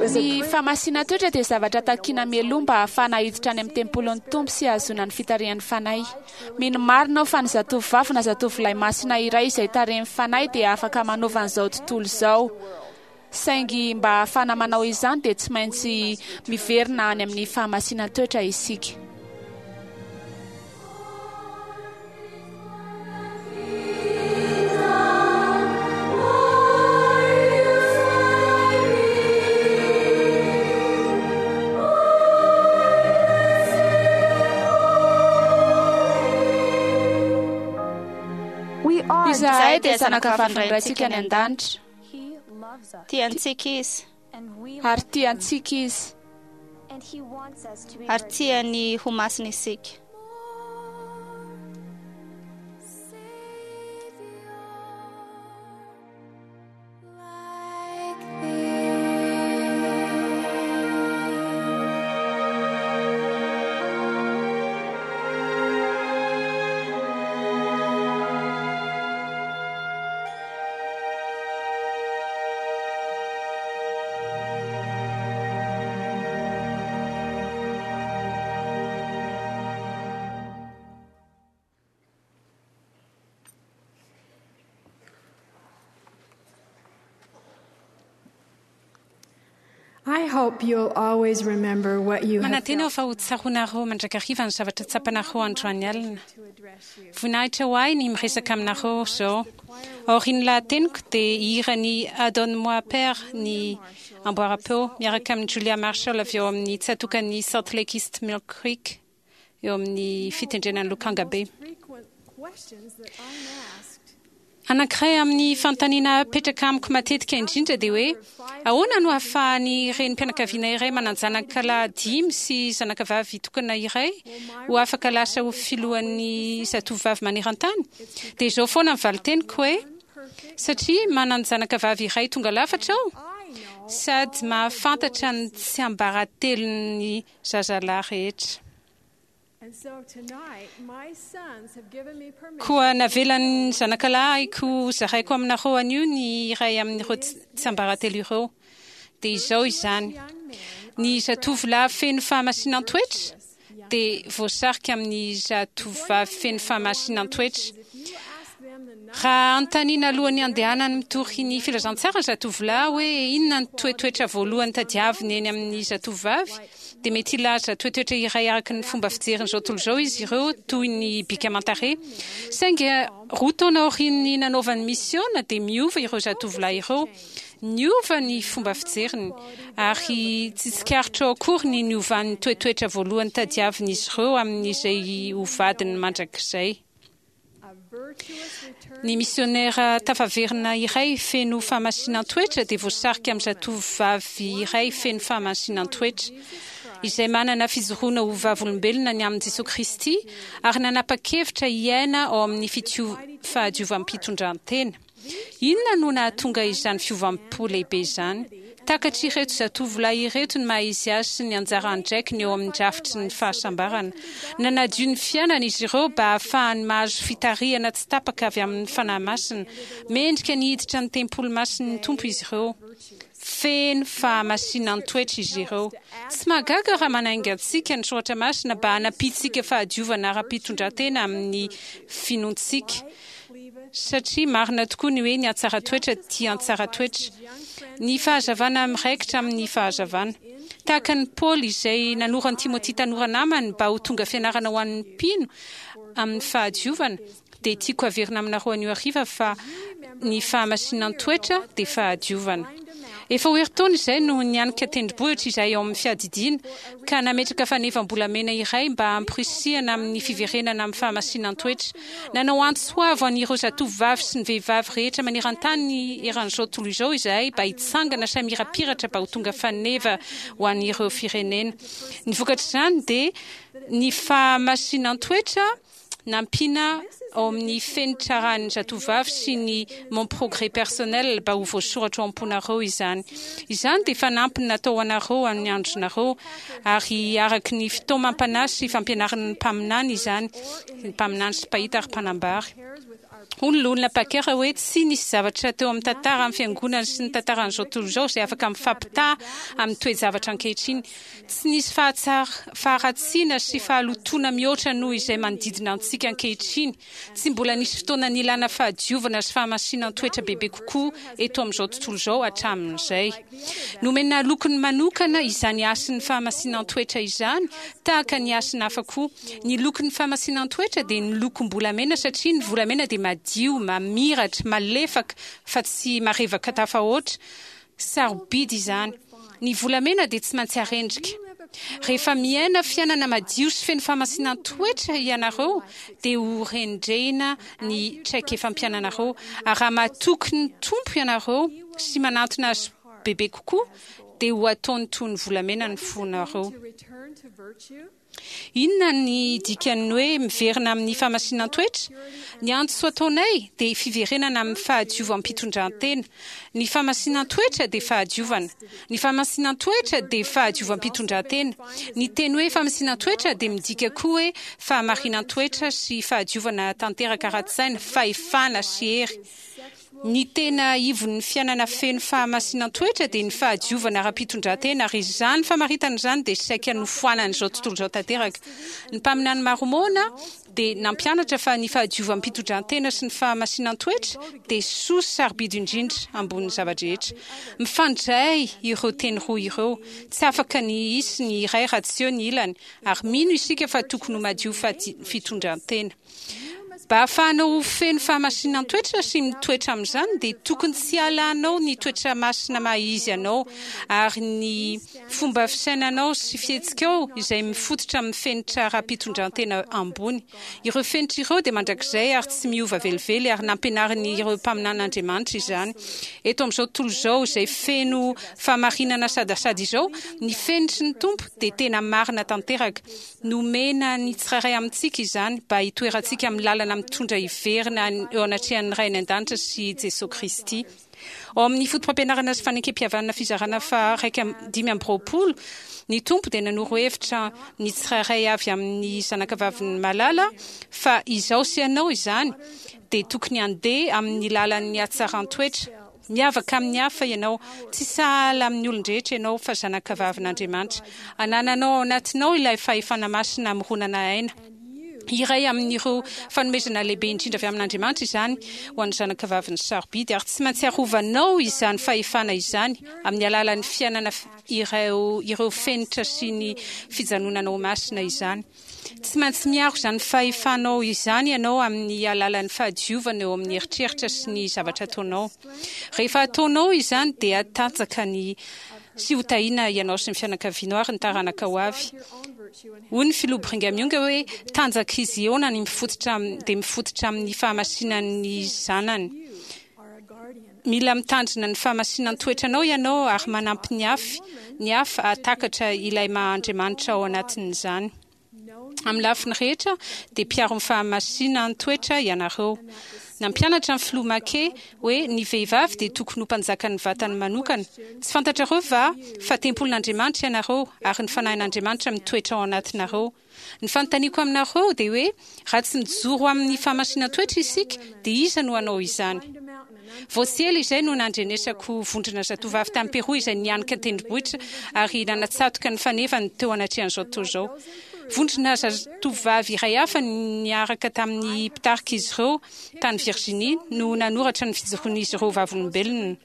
Ny fahamasinan-toetra dia zavatra takiana mialoha mba hahafahana hiditra any amin'ny tempolin'ny Tompo sy hahazoana ny fitarihan'ny Fanahy. Mino marina aho fa ny zatovovavy na zatovolahy masina iray izay tarihin'ny Fanahy dia afaka manova an'izao tontolo izao. Saingy mba hahafahana manao izany dia tsy maintsy miverina any amin'ny fahamasinan-toetra isika. Izahay dia zanakavavin'ny Raintsika any an-danitra. Tiantsika Izy. Ary tiantsika Izy. Ary tiany ho masina isika. I hope you'll always remember what you have Manantena aho felt fa ho tsaroanareo mandrakariva ny zavatra tsapanareo androany alina. to address you. Voninahitra ho ahy ny miresaka aminareo izao. Aorian'ny lahateniko dia hihira ny Adonne-moi Père ny amboaram-peo miaraka amin'i Julia Marshall avy ao amin'ny tsatòkan'ny Salt Lake East Mill Creek eo amin'ny fitendrena ny lokanga be. Frequent questions that I'm asked Anankiray amin'ny fanontaniana apetraka amiko matetika indrindra dia hoe ahoana no ahafahan'ny renim-pianakaviana iray manan-janaka lahy dimy sy zanakavavy tokana iray ho afaka lasa ho filohan'ny zatovovavy maneran-tany? Dia izao foana ny valin-teniko hoe satria manan-janakavavy iray tonga lafatra aho sady mahafantatra ny tsiambaratelon'ny zazalahy rehetra. And so tonight, my sons have given me permission Koa navelan'ny zanakalahiko hozaraiko aminareo anio ny iray amin'ireo tsiambaratelo ireo. Dia izao izany, ny zatovolahy feno fahamasinan-toetra dia voasarika amin'ny zatovovavy feno fahamasinan-toetra. Raha anontaniana alohan'ny handehanany mitory ny filazantsara ny zatovolahy hoe inona ny toetoetra voalohany tadiaviny eny amin'ny zatovovavy, dia mety hilaza toetoetra iray araka ny fomba fijerin'izao tontolo izao izy ireo, toy ny bika aman-tarehy. Saingy roa taona aorian'ny nanaovany misiona, dia miova ireo zatovolahy ireo. Niova ny fomba fijeriny, ary tsy tsikaritrao akory ny niovan'ny toetoetra voalohany tadiavin'izy ireo amin'izay ho vadiny mandrakizay. Ny misionera tafaverina iray feno fahamasinan-toetra dia voasarika amin'ny zatovovavy iray feno fahamasinan-toetra, izay manana fijoroana ho vavolombelona ny amin'i Jesoa Kristy ary nanapa-kevitra hiaina ao amin'ny fahadiovam-pitondran-tena. Inona no nahatonga izany fiovam-po lehibe izany? Takatr'ireto zatovolahy ireto ny maha-izy azy sy ny anjara andraikiny eo amin'ny drafitry ny fahasambarana. Nanadio ny fiainany izy ireo mba hahafahany mahazo fitarihana tsy tapaka avy amin'ny Fanahy Masina. Mendrika ny hiditra ny tempoly masin'ny Tompo izy ireo. Feno fahamasinan-toetra izy ireo. Tsy mahagaga raha manainga antsika ny Soratra Masina mba hanampiantsika fahadiovana ara-pitondran-tena amin'ny finoantsika. Satria marina tokoa ny hoe ny hatsaran-toetra tia an-tsara-toetra. Ny fahazavana miraikitra amin'ny fahazavana. Tahaka an'i Paoly izay nanoro an'i Timoty tanora namany mba ho tonga fianarana ho an'ny mpino amin'ny fahadiovana, dia tiako haverina aminareo anio hariva fa ny fahamasinan-toetra dia fahadiovana. Efa ho herintaona izay no nianika tendrombohitra izahay ao amin'ny fiadidiana, ka nametraka fanevam-bolamena iray mba hamporisihana amin'ny fiverenana amin'ny fahamasinan-toetra. Nanao antso avo an'ireo zatovovavy sy ny vehivavy rehetra maneran-tany eran'izao tontolo izao izahay mba hitsangana sy hamirapiratra mba ho tonga faneva ho an'ireo firenena. Ny vokatr'izany dia ny fahamasinan-toetra nampiana ao amin'ny fenitra arahin'ny zatovovavy sy ny Mon progrès personnel mba ho voasoratra ao am-ponareo izany. Izany dia fanampiny natao ho anareo amin'ny andronareo, ary araka ny fitaomam-panahy sy fampianaran'ny mpaminany izany, ny mpaminany sy mpahita ary mpanambara. Hoy ny Loholona Packer hoe, Tsy nisy zavatra teo amin'ny tantaran'ny Fiangonana sy ny tantaran'izao tontolo izao izay afaka mifampitaha amin'ny toe-javatra ankehitriny. Tsy nisy faharatsiana sy fahalotoana mihoatra noho izay manodidina antsika ankehitriny. Tsy mbola nisy fotoana nilana fahadiovana sy fahamasinan-toetra bebe kokoa eto amin'izao tontolo izao hatramin'izay. Nomena lokony manokana izany hasin'ny fahamasinan-toetra izany, tahaka ny hasina hafa koa. Ny lokon'ny fahamasinan-toetra dia ny lokom-bolamena satria ny volamena dia madio, mamiratra, malefaka fa tsy marevaka tafahoatra. Sarobidy izany. Ny volamena dia tsy maintsy arendrika. Rehefa miaina fiainana madio sy feno fahamasinan-toetra ianareo dia ho rendrehina ny traikefam-piainanareo. Ary raha matoky ny Tompo ianareo sy manantona Azy bebe kokoa dia ho ataony toy ny volamena ny fonareo. Inona ny dikan'ny hoe miverina amin'ny fahamasinan-toetra? Ny antso ataonay dia fiverenana amin'ny fahadiovam-pitondran-tena. Ny fahamasinan-toetra dia fahadiovana. Ny fahamasinan-toetra dia fahadiovam-pitondran-tena. Ny teny hoe fahamasinan-toetra dia midika koa hoe fahamarinan-toetra sy fahadiovana tanteraka ara-tsaina, fahefana sy hery. Ny tena ivon'ny fiainana feno fahamasinan-toetra dia ny fahadiovana ara-pitondrantena, ary izany famaritana izany dia saika nofoanan'izao tontolo izao tanteraka. Ny mpaminany Marmôna dia nampianatra fa ny fahadiovam-pitondrantena sy ny fahamasinan-toetra dia soa sy sarobidy indrindra ambonin'ny zava-drehetra. Mifandray ireo teny roa ireo. Tsy afaka ny hisy ny iray raha tsy eo ny ilany, ary mino isika fa tokony ho madio fitondran-tena. Mba hahafahanao ho feno fahamasinan-toetra sy mitoetra amin'izany dia tokony tsy halanao ny toetra masina maha izy anao ary ny fomba fisainanao sy fihetsikao izay mifototra amin'ny fenitra ara-pitondrantena ambony. Ireo fenitra ireo dia mandrakizay ary tsy miova velively ary nampianarin'ireo mpaminan'Andriamanitra izany. Eto amin'izao tontolo izao izay feno fahamarinana sadasada izao, ny fenitry ny Tompo dia tena marina tanteraka. Nomena ny tsirairay amintsika izany mba hitoerantsika amin'ny lalana mitondra hiverina eo anatrehan'ny Ray any An-danitra sy Jesoa Kristy. Ao amin'ny Fotopampianarana sy Fanekempihavanana fizarana faha 25, ny Tompo dia nanoro hevitra ny tsirairay avy amin'ny zanakavaviny malala fa izaho sy ianao izany dia tokony handeha amin'ny lalan'ny hatsaran-toetra. Miavaka amin'ny hafa ianao. Tsy sahala amin'ny olon-drehetra ianao fa zanakavavin'Andriamanitra. Anananao ao anatinao ilay fahefana masina hamoronana aina. Iray amin'ireo fanomezana lehibe indrindra avy amin'Andriamanitra izany ho an'ny zanakavaviny sarobidy, ary tsy maintsy arovanao izany fahefana izany amin'ny alalan'ny fiainana ireo ireo fenitra sy ny fijanonana ho masina izany. Tsy maintsy miaro izany fahefanao izany ianao amin'ny alalan'ny fahadiovana eo amin'ny eritreritra sy ny zavatra ataonao. Rehefa ataonao izany dia hatanjaka ny sy ho tahiana ianao sy ny fianakavianao ary ny taranaka ho avy. Hoy ny Filoha Brigham Young hoe, Tanjak'i Ziona ny mifototra dia mifototra amin'ny fahamasinan'ny zanany. Mila mitandrina ny fahamasinan-toetranao ianao ary manampy ny hafa ny hafa hahatakatra ilay maha Andriamanitra ao anatin'izany. Amin'ny lafiny rehetra dia mpiaro ny fahamasinan-toetra ianareo. Nampianatra ny Filoha McKay hoe ny vehivavy dia tokony ho mpanjakan'ny vatany manokana. Tsy fantatrareo va fa tempolin'Andriamanitra ianareo ary ny Fanahin'Andriamanitra mitoetra ao anatinareo? Ny fanontaniako aminareo dia hoe, raha tsy mijoro amin'ny fahamasinan-toetra isika, dia iza no hanao izany? Vao tsy ela izay no nandrenesako vondrona zatovavy tany Peroa izay nianika an-tendrombohitra ary nanatsatoka ny fanevany teo anatrehan'izao tontolo izao. Vondrona zatovavy iray hafa niaraka tamin'ny mpitarika izy ireo tany Virginie no nanoratra ny fijoroan'izy ireo vavolombelona.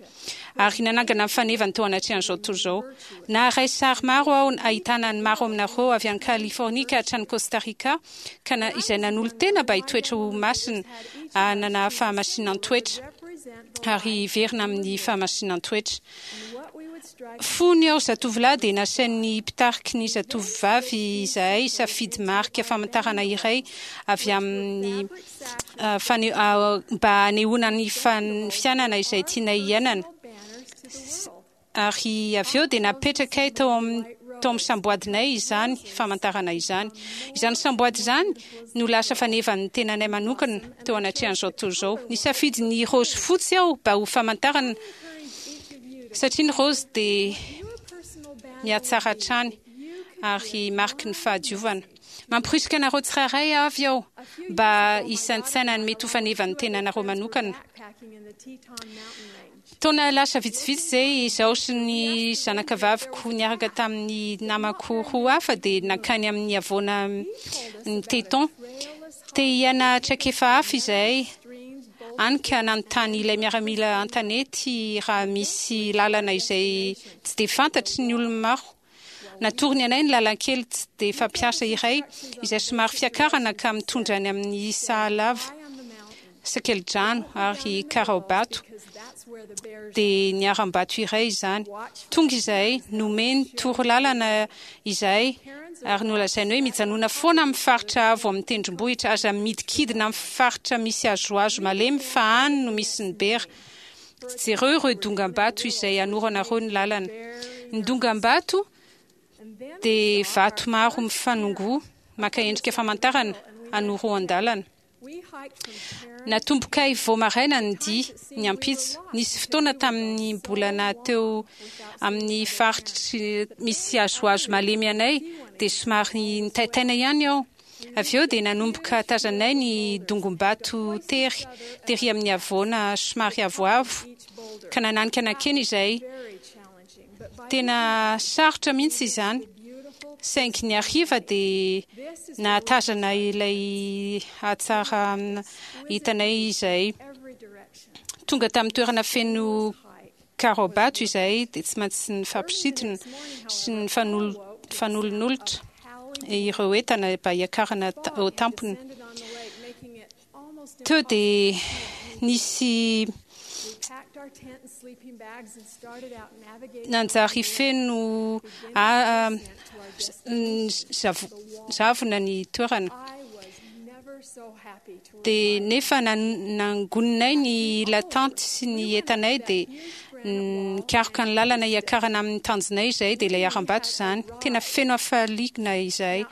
ary nanangana ny fanevany teo anatrehan'izao tontolo izao. Naharay sary maro aho ahitana ny maro aminareo avy any Californie ka hatrany Costa Rica, ka na izay nanolo-tena mba hitoetra ho masina, hanana fahamasinan-toetra, ary hiverina amin'ny fahamasinan-toetra. Fony aho zatovolahy dia nasain'ny mpitariky ny zatovovavy izahay hisafidy marika famantarana iray avy amin'ny mba hanehoana ny fiainana izay tianay hiainana. Ary avy eo dia napetrakay tao amin'ny tao amin'ny samboadinay izany famantarana izany. Izany samboady izany no lasa fanevan'ny tenanay manokana teo anatrehan'izao tontolo izao. Nisafidy ny raozy fotsy aho mba ho famantarana satria ny raozy dia mihatsara hatrany ary mariky ny fahadiovana. Mamporisika anareo tsirairay avy aho mba hisaintsaina ny mety ho fanevan'ny tenanareo manokana. Taona lasa vitsivitsy izay, izaho sy ny zanakavaviko niaraka tamin'ny namako roa hafa dia nankany amin'ny havoana ny Teton. Te hiaina traikefa hafa izahay, hany ka nanontany ilay miaramila an-tanety raha misy lalana izay tsy dia fantatry ny olona maro. Natorony anay ny lalan-kely tsy dia fampiasa iray izay somary fiakarana ka mitondra any amin'ny Sahalava, Sakelidrano ary Karaobato, dia ny harambato iray izany. Tonga izahay, nomeny toro lalana izahay ary nolazainy hoe mijanona foana amin'ny faritra avo amin'ny tendrombohitra, aza midikidina amin'ny faritra misy hazohazo malemy fa any no misy ny bera. Jereo ireo dongam-bato izay anoranareo ny lalana. Ny dongam-bato dia vato maro mifanongoa maka endrika famantarana anoroan-dalana. Natombokay vao maraina ny dia, ny ampitso. Nisy fotoana tamin'ny mbola naha teo amin'ny faritry misy hazohazo malemy anay dia somary nitaitaina ihany aho. Avy eo dia nanomboka tazanay ny dongom-bato tery, tery amin'ny havoana somary avoavo, ka nananika nankeny izay. Tena sarotra mihitsy izany, saingy ny hariva dia nahatazana ilay hatsarana hitanay izay. Tonga tamin'ny toerana feno karaobato izahay dia tsy maintsy nifampisintona sy nifanolonolotra ireo entana mba hiakarana eo tampony. Teo dia nisy nanjary feno zavona ny toerana. Dia nefa nangoninay ny latanty sy ny entanay dia nikaroka ny lalana hiakarana amin'ny tanjonay izahay dia ilay harambato izany. Tena feno hafaliana izahay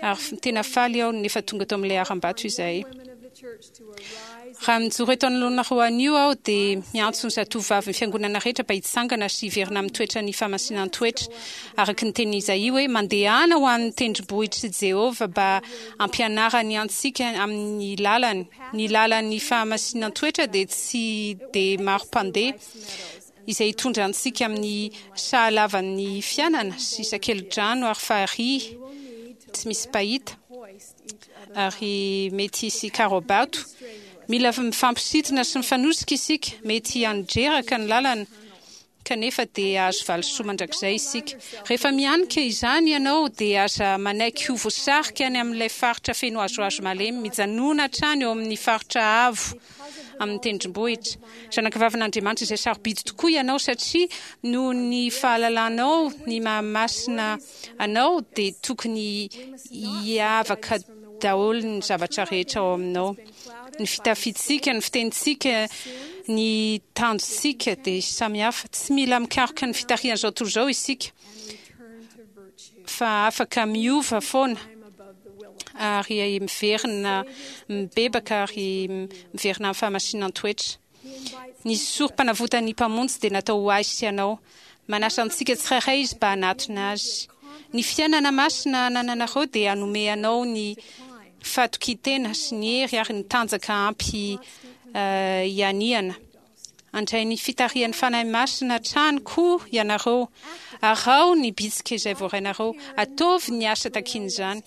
ary tena faly aho nefa tonga tao amin'ilay harambato izahay. Raha mijoro eto anoloanareo anio aho dia miantso ny zatovovavin'ny Fiangonana rehetra mba hitsangana sy hiverina amin'ny toetran'ny fahamasinan-toetra, araka ny tenin'i Izaia hoe, Mandehana ho an'ny tendrombohitr'i Jehovah mba hampianarany antsika amin'ny lalany. Ny lalan'ny fahamasinan-toetra dia tsy dia maro mpandeha, izay hitondra antsika amin'ny sahalavan'ny fiainana sy sakeli-drano ary farihy tsy misy mpahita. Ary mety hisy karaobato. Mila mifampisintona sy mifanosika isika. Mety handreraka ny lalana, kanefa dia hahazo valisoa mandrakizay isika. Rehefa mihanika izany ianao, dia aza manaiky ho voasarika any amin'ilay faritra feno hazohazo malemy. Mijanòna hatrany eo amin'ny faritra avo amin'ny tendrombohitra. Zanakavavin'Andriamanitra izay sarobidy tokoa ianao, satria noho ny fahalalanao ny maha-masina anao dia tokony hiavaka daholo ny zavatra rehetra ao aminao. Ny fitafiantsika, ny fitenintsika, ny tanjontsika dia samy hafa. Tsy mila mikaroka ny fitarihan'izao tontolo izao isika fa afaka miova foana ary miverina mibebaka ary miverina amin'ny fahamasinan-toetra. Ny sorom-panavotan'ny Mpamonjy dia natao ho ahy sy anao. Manasa antsika tsirairay Izy mba hanatona Azy. Ny fiainana masina anananareo dia hanome anao ny fahatokian-tena sy ny hery ary ny tanjaka ampy hianihana. Handray ny fitarihan'ny Fanahy Masina hatrany koa ianareo. Araho ny bitsika izay voarainareo. Ataovy ny asa takian'izany.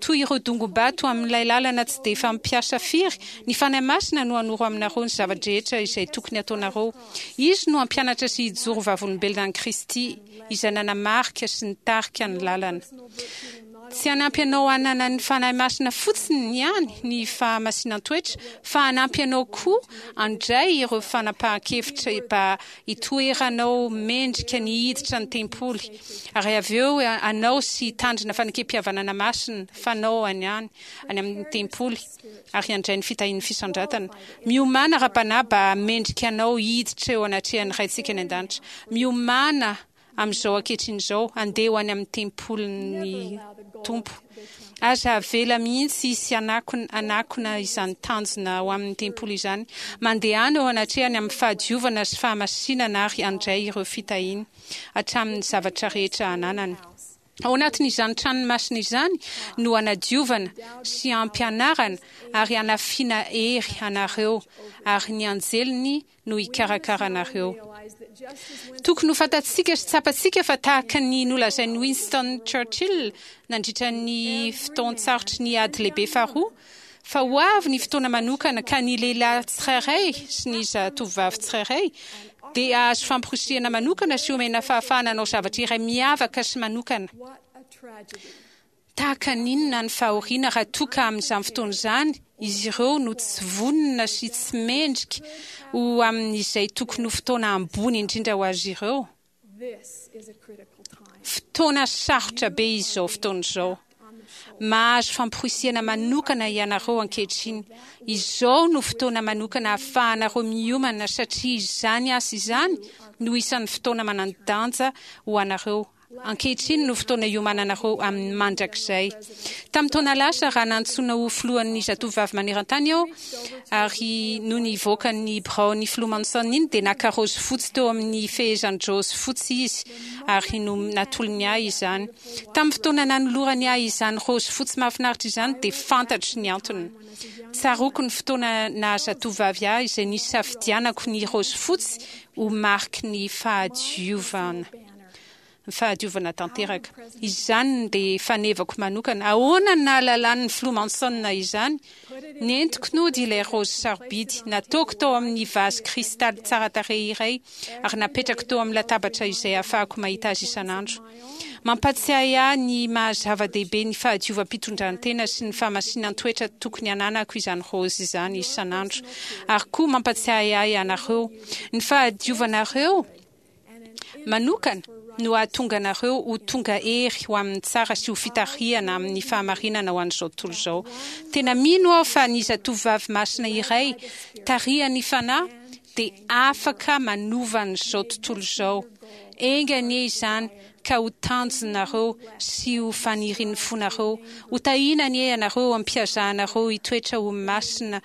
Toy ireo dongom-bato amin'ilay lalana tsy dia fampiasa firy, ny Fanahy Masina no hanoro aminareo ny zava-drehetra izay tokony hataonareo. Izy no hampianatra sy hijoro vavolombelona an'i Kristy, izay nanamarika sy nitarika ny lalana. Tsy hanampy anao hanana ny Fanahy Masina fotsiny ihany ny fahamasinan-toetra, fa hanampy anao koa handray ireo fanapahan-kevitra mba hitoeranao mendrika ny hiditra ny tempoly, ary avy eo hanao sy hitandrina fanekempihavanana masina fanao any any amin'ny tempoly, ary handray ny fitahian'ny fisandratana. Miomàna ara-panahy mba hahamendrika anao hiditra eo anatrehan'ny Raintsika any An-danitra. Miomàna amin'izao ankehitriny izao, handeha ho any amin'ny tempolin'ny Tompo. Aza avela mihitsy hisy hanakona hanakona izany tanjona ho amin'ny tempoly izany. Mandehana eo anatrehany amin'ny fahadiovana sy fahamasinana ary handray ireo fitahiany hatramin'ny zavatra rehetra ananany. Ao anatin'izany tranony masina izany no hanadiovana sy hampianarana ary hanafiana hery anareo ary ny anjeliny no hikarakara anareo. Tokony ho fantatsika sy tsapantsika fa tahaka ny nolazain'i Winston Churchill nandritra ny fotoan-tsarotry ny Ady Lehibe Faharoa, fa ho avy ny fotoana manokana ka ny lehilahy tsirairay sy ny zatovovavy tsirairay dia hahazo famporisihana manokana sy homena fahafahana hanao zavatra iray miavaka sy manokana. Tahaka ny inona ny fahoriana raha toa ka amin'izany fotoana izany izy ireo no tsy vonona sy tsy mendrika ho amin'izay tokony ho fotoana ambony indrindra ho azy ireo? Fotoana sarotra be izao fotoana izao. Mahazo famporisihana manokana ianareo ankehitriny. Izao no fotoana manokana ahafahanareo miomana satria izany asa izany no isan'ny fotoana manan-danja ho anareo. Ankehitriny no fotoana hiomananareo amin'ny mandrakizay. Tamin'ny taona lasa, raha nantsoina ho filohan'ny Zatovovavy Maneran-tany aho, ary nony hivoaka ny biraon'ny Filoha Monson iny, dia naka raozy fotsy teo amin'ny fehezan-draozy fotsy izy, ary natolony ahy izany. Tamin'ny fotoana nanolorany ahy izany raozy fotsy mahafinaritra izany, dia fantatro ny antony. Tsaroako ny fotoana naha-zatovovavy ahy izay nisafidianako ny raozy fotsy ho mariky ny fahadiovana. Ny fahadiovana tanteraka. Izany dia fanevako manokana. Ahoana no nahalalan'ny Filoha Monson izany? Nentiko nody ilay raozy sarobidy. Nataoko tao amin'ny vazy kristaly tsara tarehy iray ary napetrako teo amin'ny latabatra izay ahafahako mahita azy isan'andro. Mampatsiahy ahy ny maha-zava-dehibe ny fahadiovam-pitondrantena sy ny fahamasinan-toetra tokony hananako izany raozy izany isan'andro. Ary koa mampatsiahy ahy anareo. Ny fahadiovanareo manokana no hahatonga anareo ho tonga hery ho amin'ny tsara sy ho fitarihana amin'ny fahamarinana ho an'izao tontolo izao. Tena mino aho fa ny zatovovavy masina iray tarihan'ny Fanahy dia afaka manova an'izao tontolo izao. Enga anie izany ka ho tanjonareo sy ho fanirian'ny fonareo. Ho tahiana anie ianareo am-piazahanareo hitoetra ho masina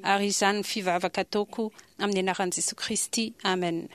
ary izany ny fivavaka ataoko amin'ny anaran'i Jesoa Kristy. Amen.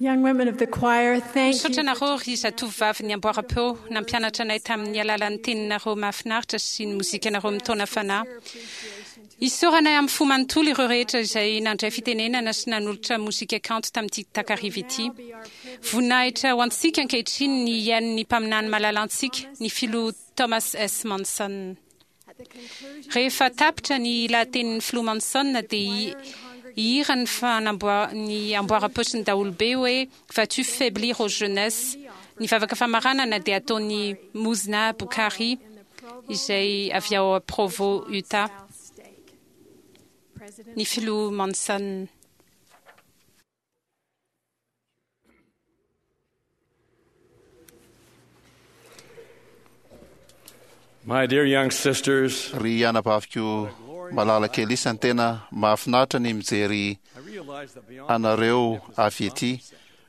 Young women of the choir, thank you. Misaotra anareo ry zatovovavin'ny amboaram-peo nampianatra anay tamin'ny alalan'ny teninareo mahafinaritra sy ny mozikanareo mitaona fanahy. Isaoranay amin'ny fo manontolo ireo rehetra izay nandray fitenenana sy nanolotra mozika kanto tamin'ity takariva ity. Voninahitra ho antsika ankehitriny ny hihaino ny mpaminany malalantsika, ny Filoha Thomas S. Monson. Rehefa tapitra ny lahatenin'ny Filoha Monson dia hihira ny ny amboaram-paosin'ny daholobe hoe Vas-tu faiblir ô jeunesse? Ny vavaka famaranana dia ataon'i Muzna Bukhari izay avy ao Provo, Utah. Ny Filoha Monson. My dear young sisters, Ry anabaviko malala kely isany, tena mahafinaritra ny mijery anareo avy ety.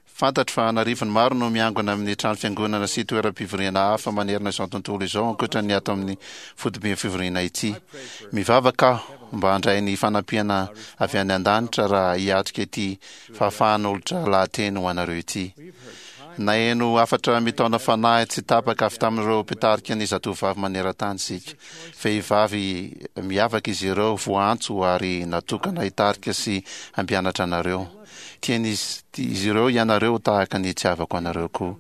Fantatro fa an'arivony maro no miangona amin'ny trano fiangonana sy toeram-pivoriana hafa manerana izao tontolo izao ankoatra ny ato amin'ny foiben'ny fivoriana ity. Mivavaka aho mba handray ny fanampiana avy any an-danitra raha hiatrika ity fahafahan'olotra lahateny ho anareo ity. Naheno hafatra mitaona fanahy tsy tapaka avy tamin'ireo mpitarika ny Zatovovavy maneran-tany isika. Vehivavy miavaka izy ireo, voaantso ary natokana hitarika sy hampianatra anareo. Tian'izy ireo ianareo tahaka ny itiavako anareo koa.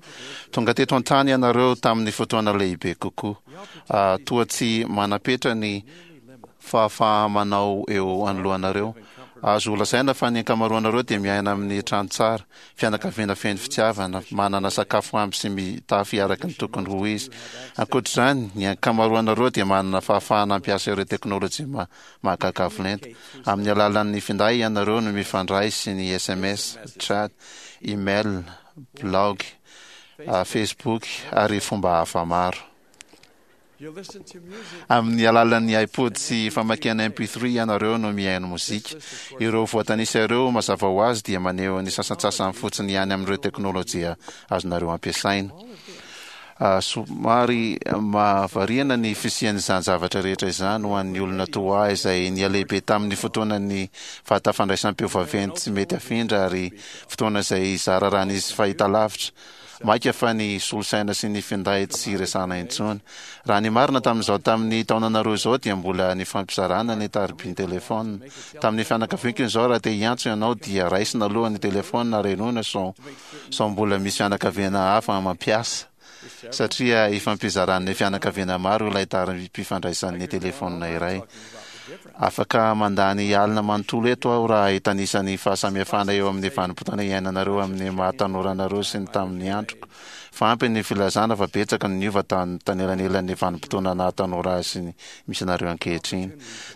Tonga teto an-tany ianareo tamin'ny fotoana lehibe kokoa. Toa tsy manam-petra ny fahafaha-manao eo anoloanareo. Azo lazaina fa ny ankamaroanareo dia miaina amin'ny trano tsara, fianakaviana feno fitiavana, manana sakafo ampy sy mitafy araka ny tokony ho izy. Ankoatra izany, ny ankamaroanareo dia manana fahafahana hampiasa ireo teknolojia mahagaga avo lenta. Amin'ny alalan'ny finday ianareo no mifandray sy ny sms, chat, email, blaogy, Facebook ary fomba hafa maro. Amin'ny alalan'ny iPod sy famakiana MP3 ianareo no mihaino mozika. Ireo voatanisa ireo, mazava ho azy, dia maneho ny sasantsasany fotsiny ihany amin'ireo teknolojia azonareo ampiasaina. Somary mahavariana ny fisian'izany zavatra rehetra izany ho an'ny olona toa ahy izay nihalehibe tamin'ny fotoanan'ny vata fandraisam-peo vaventy tsy mety afindra ary fotoana izay zara raha nisy fahitalavitra. Maika fa ny solosaina sy ny finday tsy resahana intsony. Raha ny marina tamin'izao tamin'ny taonanareo izao dia mbola nifampizarana ny tarobin-telefaonina. Tamin'ny fianakaviako izao raha te hiantso ianao dia raisina aloha ny telefaonina ary henoina sao sao mbola misy fianakaviana hafa mampiasa satria ifampizaran'ny fianakaviana maro ilay tarobim-pifandraisan'ny telefaonina iray. Afaka mandany alina manontolo eto aho raha hitanisa ny fahasamihafana eo amin'ny vanim-potoana iainanareo amin'ny maha tanora anareo sy ny tamin'ny androko. Fa ampy ny filazana fa betsaka no niova tanelanelan'ny vanim-potoana naha tanora ahy sy ny misy anareo ankehitriny.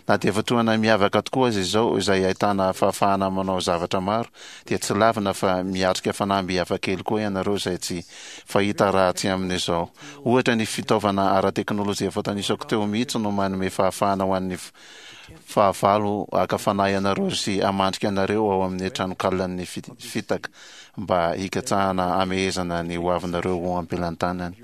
Na dia fotoana miavaka tokoa aza izao izay ahitana fahafahana manao zavatra maro dia tsy lavina fa miatrika fanamby hafakely koa ianareo izay tsy fahita raha tsy amin'izao. Ohatra, ny fitaovana ara-teknolojia voatanisako teo mihitsy no manome fahafahana ho an'ny fahavalo haka fanahy anareo sy hamandrika anareo ao amin'ny tranonkalan'ny fitaka mba hikatsahana hamehezana ny hoavinareo ho am-pelantanany.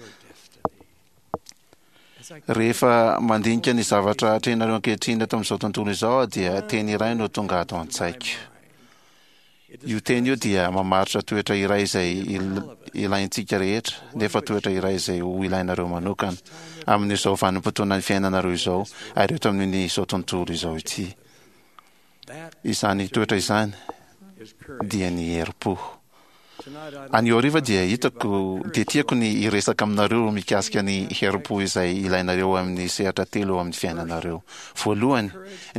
Rehefa mandinika ny zavatra atrehinareo ankehitriny eto amin'izao tontolo izao aho dia teny iray no tonga ato an-tsaiko. Io teny io dia mamaritra toetra iray izay ilaintsika rehetra, nefa toetra iray izay ho ilainareo manokana, amin'izao vanim-potoanan'ny fiainanareo izao, ary eto amin'izao tontolo izao ity. Izany toetra izany dia ny herim-po. Anio hariva dia hitako, dia tiako ny hiresaka aminareo mikasika ny herim-po izay ilainareo amin'ny sehatra telo eo amin'ny fiainanareo. Voalohany,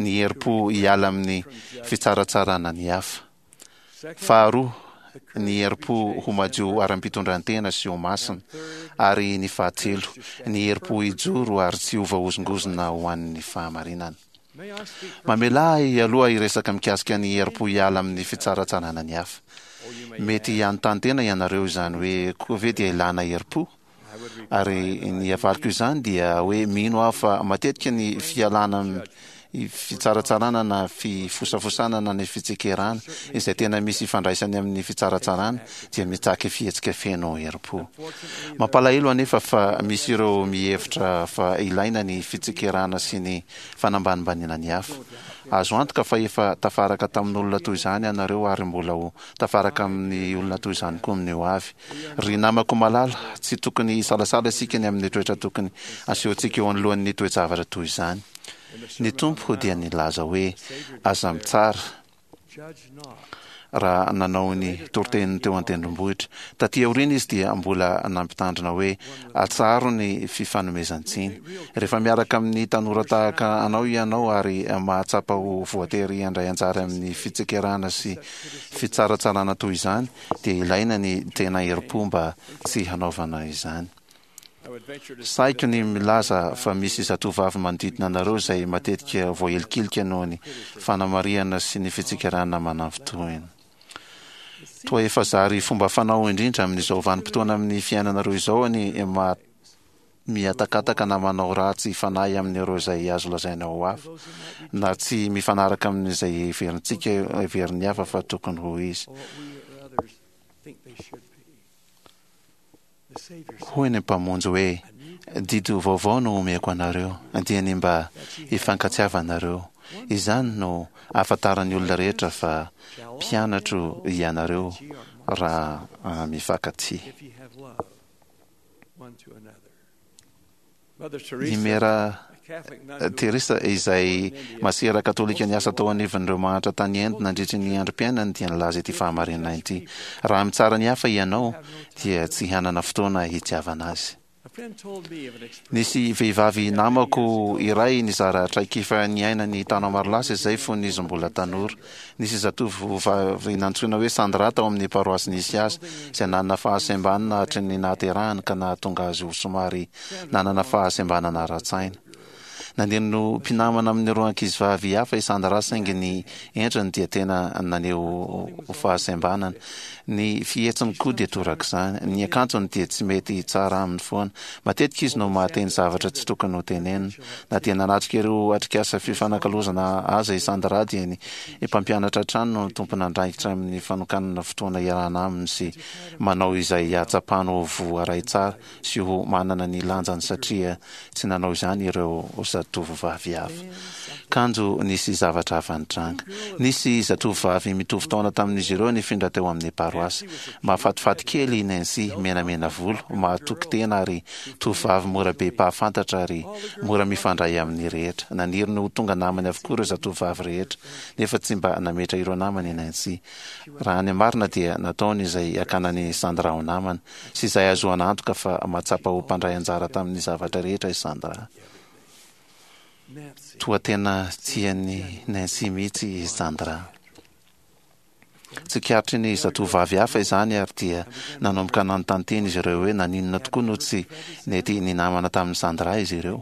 ny herim-po hiala amin'ny fitsaratsarana ny hafa. Faharoa, ny herim-po ho madio ara-pitondran-tena sy ho masina. Ary ny fahatelo, ny herim-po hijoro ary tsy ho voahozongozona ho an'ny fahamarinana. Mamelà ahy aloha hiresaka mikasika ny herim-po hiala amin'ny fitsaratsarana ny hafa. Mety hanontany tena ianareo izany hoe koa ve dia ilàna herim-po? Ary ny havaliko izany dia hoe mino aho fa matetika ny fialana fitsaratsarana na fifosafosana na ny fitsikerana, izay tena misy ifandraisany amin'ny fitsaratsarana, dia mitaky fihetsika feno herim-po. Mampalahelo anefa fa misy ireo mihevitra fa ilaina ny fitsikerana sy ny fanambanimbaniana ny hafa. Azo antoka fa efa tafaraka tamin'olona toy izany ianareo ary mbola ho tafaraka amin'ny olona toy izany koa amin'ny ho avy. Ry namako malala, tsy tokony hisalasala isika ny amin'ny toetra tokony asehontsika eo anoloan'ny toe-javatra toy izany. Ny Tompo dia nilaza hoe, Aza mitsara, raha nanao ny toriteniny teo an-tendrombohitra. Taty aoriana izy dia mbola nampitandrina hoe, Atsaharo ny fifanomezan-tsiny. Rehefa miaraka amin'ny tanora tahaka anao ianao ary mahatsapa ho voatery handray anjara amin'ny fitsikerana sy fitsaratsarana toy izany, dia ilaina ny tena herim-po mba tsy hanaovana izany. Sahiko ny milaza fa misy zatovovavy manodidina anareo izay matetika voahilikilika noho ny fanamarihana sy ny fitsikerana manafintohina. Toa efa zary fomba fanao indrindra amin'izao vanim-potoana amin'ny fiainanareo izao ny mihatakataka na manao ratsy fanahy amin'ireo izay azo lazaina ho hafa, na tsy mifanaraka amin'izay heverintsika heverin'ny hafa fa tokony ho izy. Hoy ny Mpamonjy hoe, Didy vaovao no omeko anareo, dia ny mba hifankatiavanareo. Izany no ahafantaran'ny olona rehetra fa mpianatro ianareo raha mifankatia. I Mera Teresa, izay masera katolika niasa tao anivon'ireo mahantra tany Inde nandritry ny androm-piainany, dia nilaza ity fahamarinana ity, Raha mitsara ny hafa ianao, dia tsy hanana fotoana hitiavana azy. Nisy vehivavy namako iray nizara traikefa niainany taona maro lasa izay fony izy mbola tanora. Nisy zatovovavy nantsoina hoe Sandra tao amin'ny paroasy nisy azy, izay nanana fahasembanana hatry ny nahaterahany ka nahatonga azy ho somary nanana fahasembanana ara-tsaina. Nandeha no mpinamana amin'ireo ankizivavy hafa i Sandra saingy ny endriny dia tena naneho fahasembanana. Ny fihetsiny koa dia torak'izany. Ny akanjony dia tsy mety tsara aminy foana. Matetika izy no mahateny zavatra tsy tokony ho tenenina. Na dia nanatrika ireo atrikasa fifanakalozana aza i Sandra dia ny mpampianatra hatrany no tompon'andraikitra amin'ny fanokanana fotoana iarahana aminy sy manao izay hahatsapany ho voaray tsara sy ho manana ny lanjany satria tsy nanao izany ireo zatovovavy hafa. Kanjo nisy zavatra hafa nitranga. Nisy zatovovavy mitovy taona tamin'izy ireo nifindra teo amin'ny paroasy. Mahafatifaty kely i Nancy, menamena volo, mahatoky tena ary tovovavy mora be mpahafantatra ary mora mifandray amin'ny rehetra. Naniry ny ho tonga namany avokoa ireo zatovovavy rehetra, nefa tsy mba nametra ireo namany i Nancy. Raha ny marina dia nataony izay hakana an'i Sandra ho namana. sy izay ahazoana antoka fa mahatsapa ho mpandray anjara tamin'ny zavatra rehetra i Sandra. Toa tena tian'i Nancy mihitsy i Sandra. Tsikaritry ny zatovovavy hafa izany ary dia nanomboka nanontany tena izy ireo hoe naninona tokoa no tsy nety ninamana tamin'i Sandra izy ireo.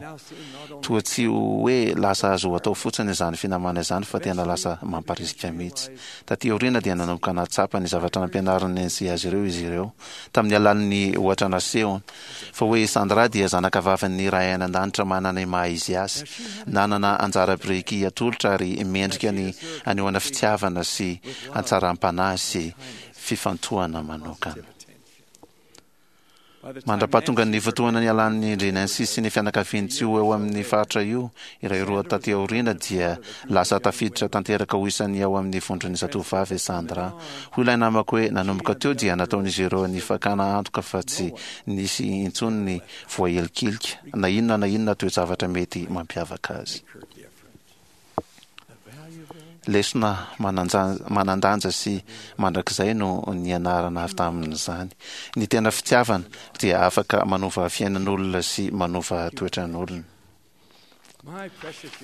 Toa tsy hoe lasa azo atao fotsiny izany finamana izany fa tena lasa mamparisika mihitsy. Tatỳ aoriana dia nanomboka nahatsapa ny zavatra nampianarin'i Nancy azy ireo izy ireo, tamin'ny alalan'ny ohatra nasehony, fa hoe i Sandra dia zanakavavin'ny Ray any An-danitra manana ny maha-izy azy, nanana anjara biriky atolotra ary mendrika ny hanehoana fitiavana sy hatsaram-panahy sy fifantohana manokana. Mandra-pahatongan'ny fotoana nialan'ny ndry Nancy sy ny fianakaviany tsy ho eo amin'ny faritra io, iray roa taty aoriana dia lasa tafiditra tanteraka ho isan'ny ao amin'ny vondron'ny zatovovavy i Sandra. Hoy ilay namako hoe nanomboka teo dia nataon'izy ireo ny fakana antoka fa tsy nisy intsony ny voahilikilika, na inona na inona toe-javatra mety mampiavaka azy. Lesona manan-danja sy mandrakizay no nianarana avy tamin'izany. Ny tena fitiavana dia afaka manova fiainan'olona sy manova toetran'olona.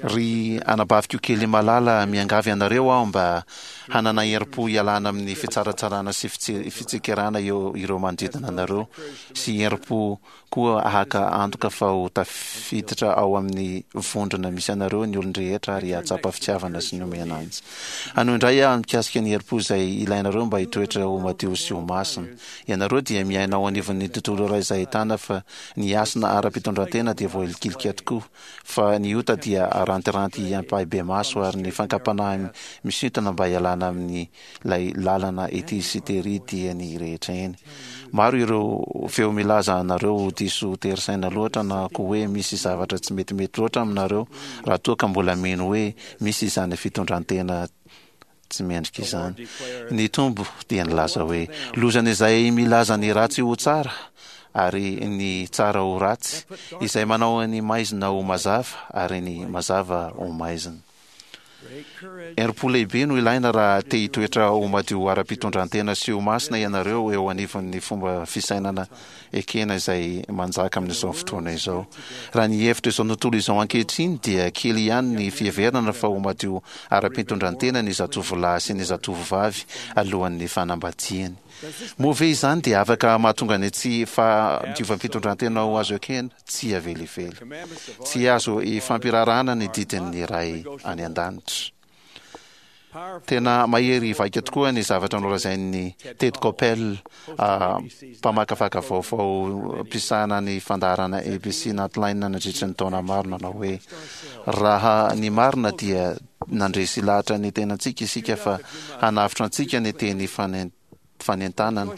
Ry anabaviko kely malala, miangavy anareo aho mba hanana herim-po hialana amin'ny fitsaratsarana sy fitsikerana eo ireo manodidina anareo, sy herim-po Koa haka antoka fa ho tafiditra ao amin'ny vondrona misy anareo ny olon-drehetra ary hahatsapa fitiavana sy ny omena azy. Hanohy indray aho mikasika ny herim-po izay ilainareo mba hitoetra ho madio sy ho masina. Ianareo dia miaina ao anivon'ny tontolo iray izay ahitana fa ny hasina ara-pitondrantena dia voahilikilika tokoa, fa ny. ny ota dia arantiranty ampahibemaso ary ny fankam-panahy misintona mba hialana amin'ilay lalana ety sy tery dia ny rehetra eny. Maro ireo feo milaza anareo ho diso tery saina loatra na koa hoe misy zavatra tsy metimety loatra aminareo raha toa ka mbola mino hoe misy izany fitondran-tena tsy mendrika izany. Ny Tompo dia nilaza hoe, Lozan'izay milaza ny ratsy ho tsara ary ny tsara ho ratsy, izay manao ny maizina ho mazava ary ny mazava ho maizina. Herim-po lehibe no ilaina raha te hitoetra ho madio ara-pitondran-tena sy ho masina ianareo eo anivon'ny fomba fisainana ekena izay manjaka amin'izao fotoana izao. Raha ny hevitra izao tontolo izao ankehitriny dia kely ihany ny fiheverana fa ho madio ara-pitondran-tena ny zatovolahy sy ny zatovovavy alohan'ny fanambadiany. Moa ve izany dia afaka mahatonga ny tsy fahadiovam-pitondran-tena ho azo ekena? Tsia velively. Tsy azo ifampiraharahana ny didin'ny Ray any An-danitra. Tena mahery vaika tokoa ny zavatra nolazain'i Ted Koppel, mpamakafaka vaovao mpisahana ny fandaharana ABC Nightline nandritra ny taona maro, nanao hoe, Raha ny marina dia nandresy lahatra ny tenantsika isika fa hanavotra antsika ny teny fanentanana.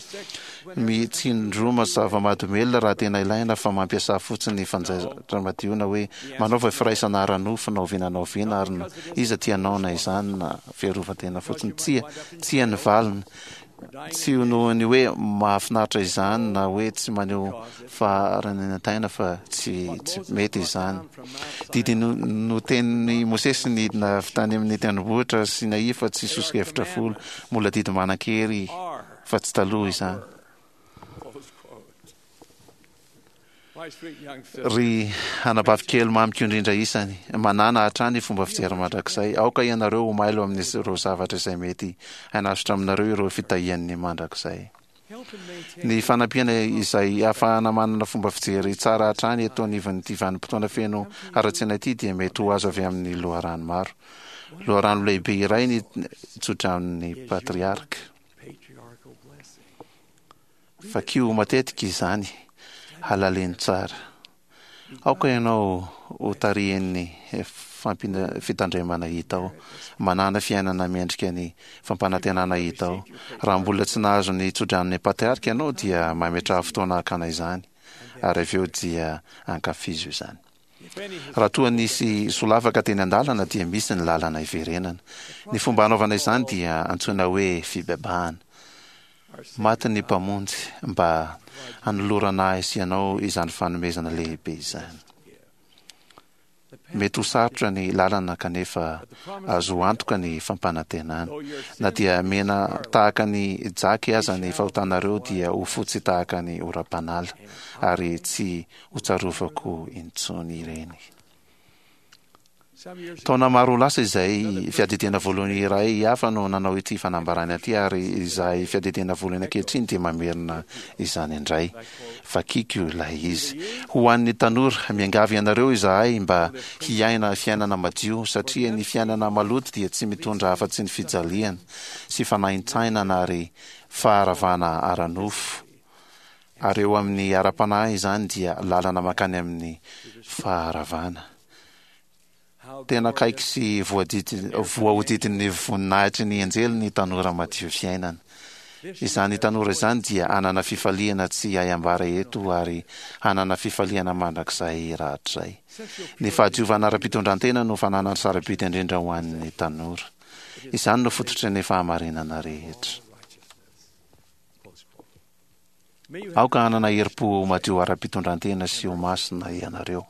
Mitsindroma zava-mahadomelina raha tena ilaina fa mampiasà fotsiny fanjaitra madio na hoe manaova firaisana ara-nofo na oviana na oviana ary na iza tianao na izany na fiarovan-tena fotsiny. Tsia, tsia ny valiny. Tsy noho ny hoe mahafinaritra izany na hoe tsy maneho faharanenantaina fa tsy tsy mety izany. Didy notenin'i Mosesy nidina avy tany amin'ny tendrombohitra Sinai fa tsy soso-kevitra folo. Mbola didy manan-kery fa tsy taloha izany. Ry anabavy kely mamiko indrindra isany, manàna hatrany fomba fijery mandrakizay. Aoka ianareo ho mailo amin'ireo zavatra izay mety hanasotra aminareo ireo fitahian'ny mandrakizay. Ny fanampiana izay ahafahana manana fomba fijery tsara hatrany eto anivon'ity vanim-potoana feno haratsiana ity dia mety ho azo avy amin'ny loharano maro. Loharano lehibe iray ny tsodranon'ny patriarka. Vakio matetika izany, halalino tsara. Aoka ianao ho tarihin'ny fitandremana hita ao. Manàna fiainana mendrika ny fampanantenana hita ao. Raha mbola tsy nahazo ny tsodranon'ny patriarka ianao dia mametraha fotoana hakana izany, ary avy eo dia ankafizo izany. Raha toa nisy solafaka teny an-dalana dia misy ny lalana hiverenana. Ny fomba hanaovana izany dia antsoina hoe fibebahana. Maty ny Mpamonjy mba hanolorana ahy sy ianao izany fanomezana lehibe izany. Mety ho sarotra ny lalana kanefa azo antoka ny fampanantenana. Na dia mena tahaka ny jaky aza ny fahotanareo dia ho fotsy tahaka ny oram-panala ary tsy ho tsarovako intsony ireny. Taona maro lasa izay, fiadidiana voalohany iray hafa no nanao ity fanambarana ity ary izahay fiadidiana voalohany ankehitriny dia mamerina izany indray. Vakiko ilay izy. Ho an'ny tanora, miangavy anareo izahay mba hiaina fiainana madio satria ny fiainana maloto dia tsy mitondra afa-tsy ny fijaliana sy fanaintainana ary faharavana ara-nofo. Ary eo amin'ny ara-panahy izany dia lalana mankany amin'ny faharavana. Tena akaiky sy voahodidin'ny voninahitry ny anjely ny tanora madio fiainana. Izany tanora izany dia hanana fifaliana tsy hay ambara eto ary hanana fifaliana mandrakizay rahatrizay. Ny fahadiovana ara-pitondrantena no fananana sarobidy indrindra ho an'ny tanora. Izany no fototry ny fahamarinana rehetra. Aoka hanana herim-po madio ara-pitondrantena sy ho masina ianareo.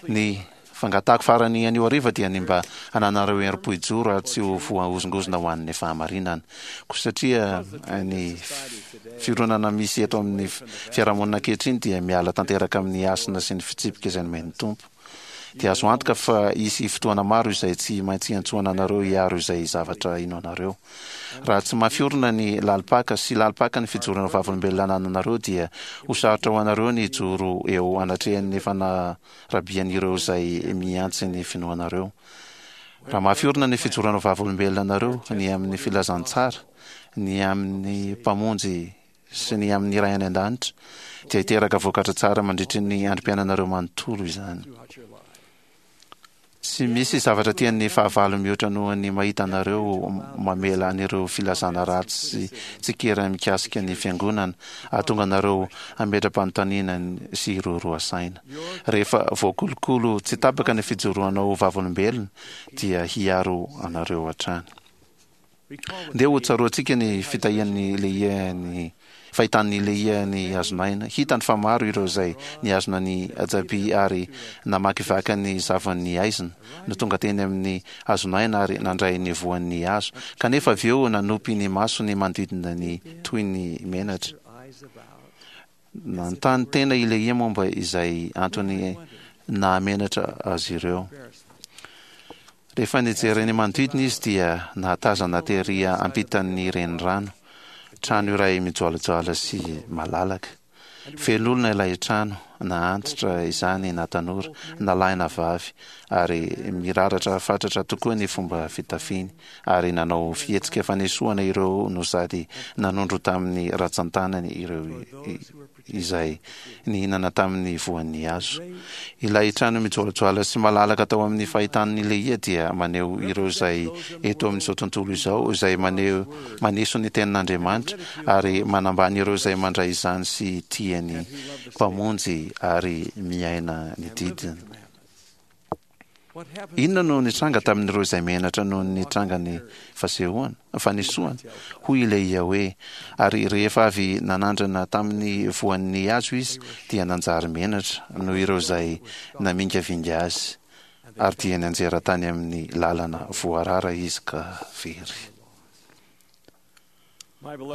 Ny fangatahako farany anio hariva dia ny mba hananareo herim-po hijoro ary tsy ho voahozongozona ho an'ny fahamarinana. Koa satria ny fironana misy eto amin'ny fiarahamonina ankehitriny dia miala tanteraka amin'ny hasina sy ny fitsipika izay nomen'ny Tompo, dia azo antoka fa hisy fotoana maro izay tsy maintsy hiantsoana anareo hiaro izay zavatra inoanareo. Raha tsy mafy orina ny lalim-paka sy lalim-paka ny fijoroana vavolombelona anananareo dia ho sarotra ho anareo ny hijoro eo anatrehan'ny fanarabian'ireo izay mihantsy ny finoanareo. Raha mafy orina ny fijoroana vavolombelona anareo ny amin'ny filazantsara, ny amin'ny Mpamonjy sy ny amin'ny Ray any An-danitra, dia hiteraka vokatra tsara mandritry ny androm-piainanareo manontolo izany. Tsy misy zavatra tian'ny fahavalo mihoatra noho ny mahita anareo mamela an'ireo filazana ratsy sy tsikera mikasika ny Fiangonana, hahatonga anareo hametra-panontaniana sy hiroaroa saina. Rehefa voakolokolo tsy tapaka ny fijoroanao ho vavolombelona, dia hiaro anareo hatrany. Ndeha ho tsaroantsika ny fitahian'i Lehia ny fahitan'i Lehia ny hazon'aina. Hitany fa maro ireo izay nihazona ny ajaby ary namakivaky ny zavon'ny haizina, no tonga teny amin'ny hazon'aina ary nandray ny voan'ny hazo, kanefa avy eo nanopy ny masony manodidina ny toy ny menatra. Nanontany tena i Lehia momba izay antony nahamenatra azy ireo. Rehefa nijery ny manodidina izy dia nahatazana tery ampitan'ny renirano, trano iray mijoalajoala sy malalaka. Feno olona ilay trano, na antitra izany na tanora, na lahy na vavy, ary miraratra fatratra tokoa ny fomba fitafiny, ary nanao fihetsika fanesoana ireo no sady nanondro tamin'ny ratsan-tanany ireo izay nihinana tamin'ny voan'ny hazo. Ilay trano mijoalajoala sy malalaka tao amin'ny fahitan'i Lehia dia maneho ireo izay eto amin'izao tontolo izao izay maneho maneso ny tenin'Andriamanitra ary manambany ireo izay mandray izany sy tia ny Mpamonjy ary miaina ny didiny. Inona no nitranga tamin'ireo izay menatra noho ny nitrangan'ny fasehoana, fanesoana? Hoy i Lehia hoe, Ary rehefa avy nanandrana tamin'ny voan'ny hazo izy, dia nanjary menatra noho ireo izay namingavinga azy, ary dia nianjera tany amin'ny lalana voarara izy ka very.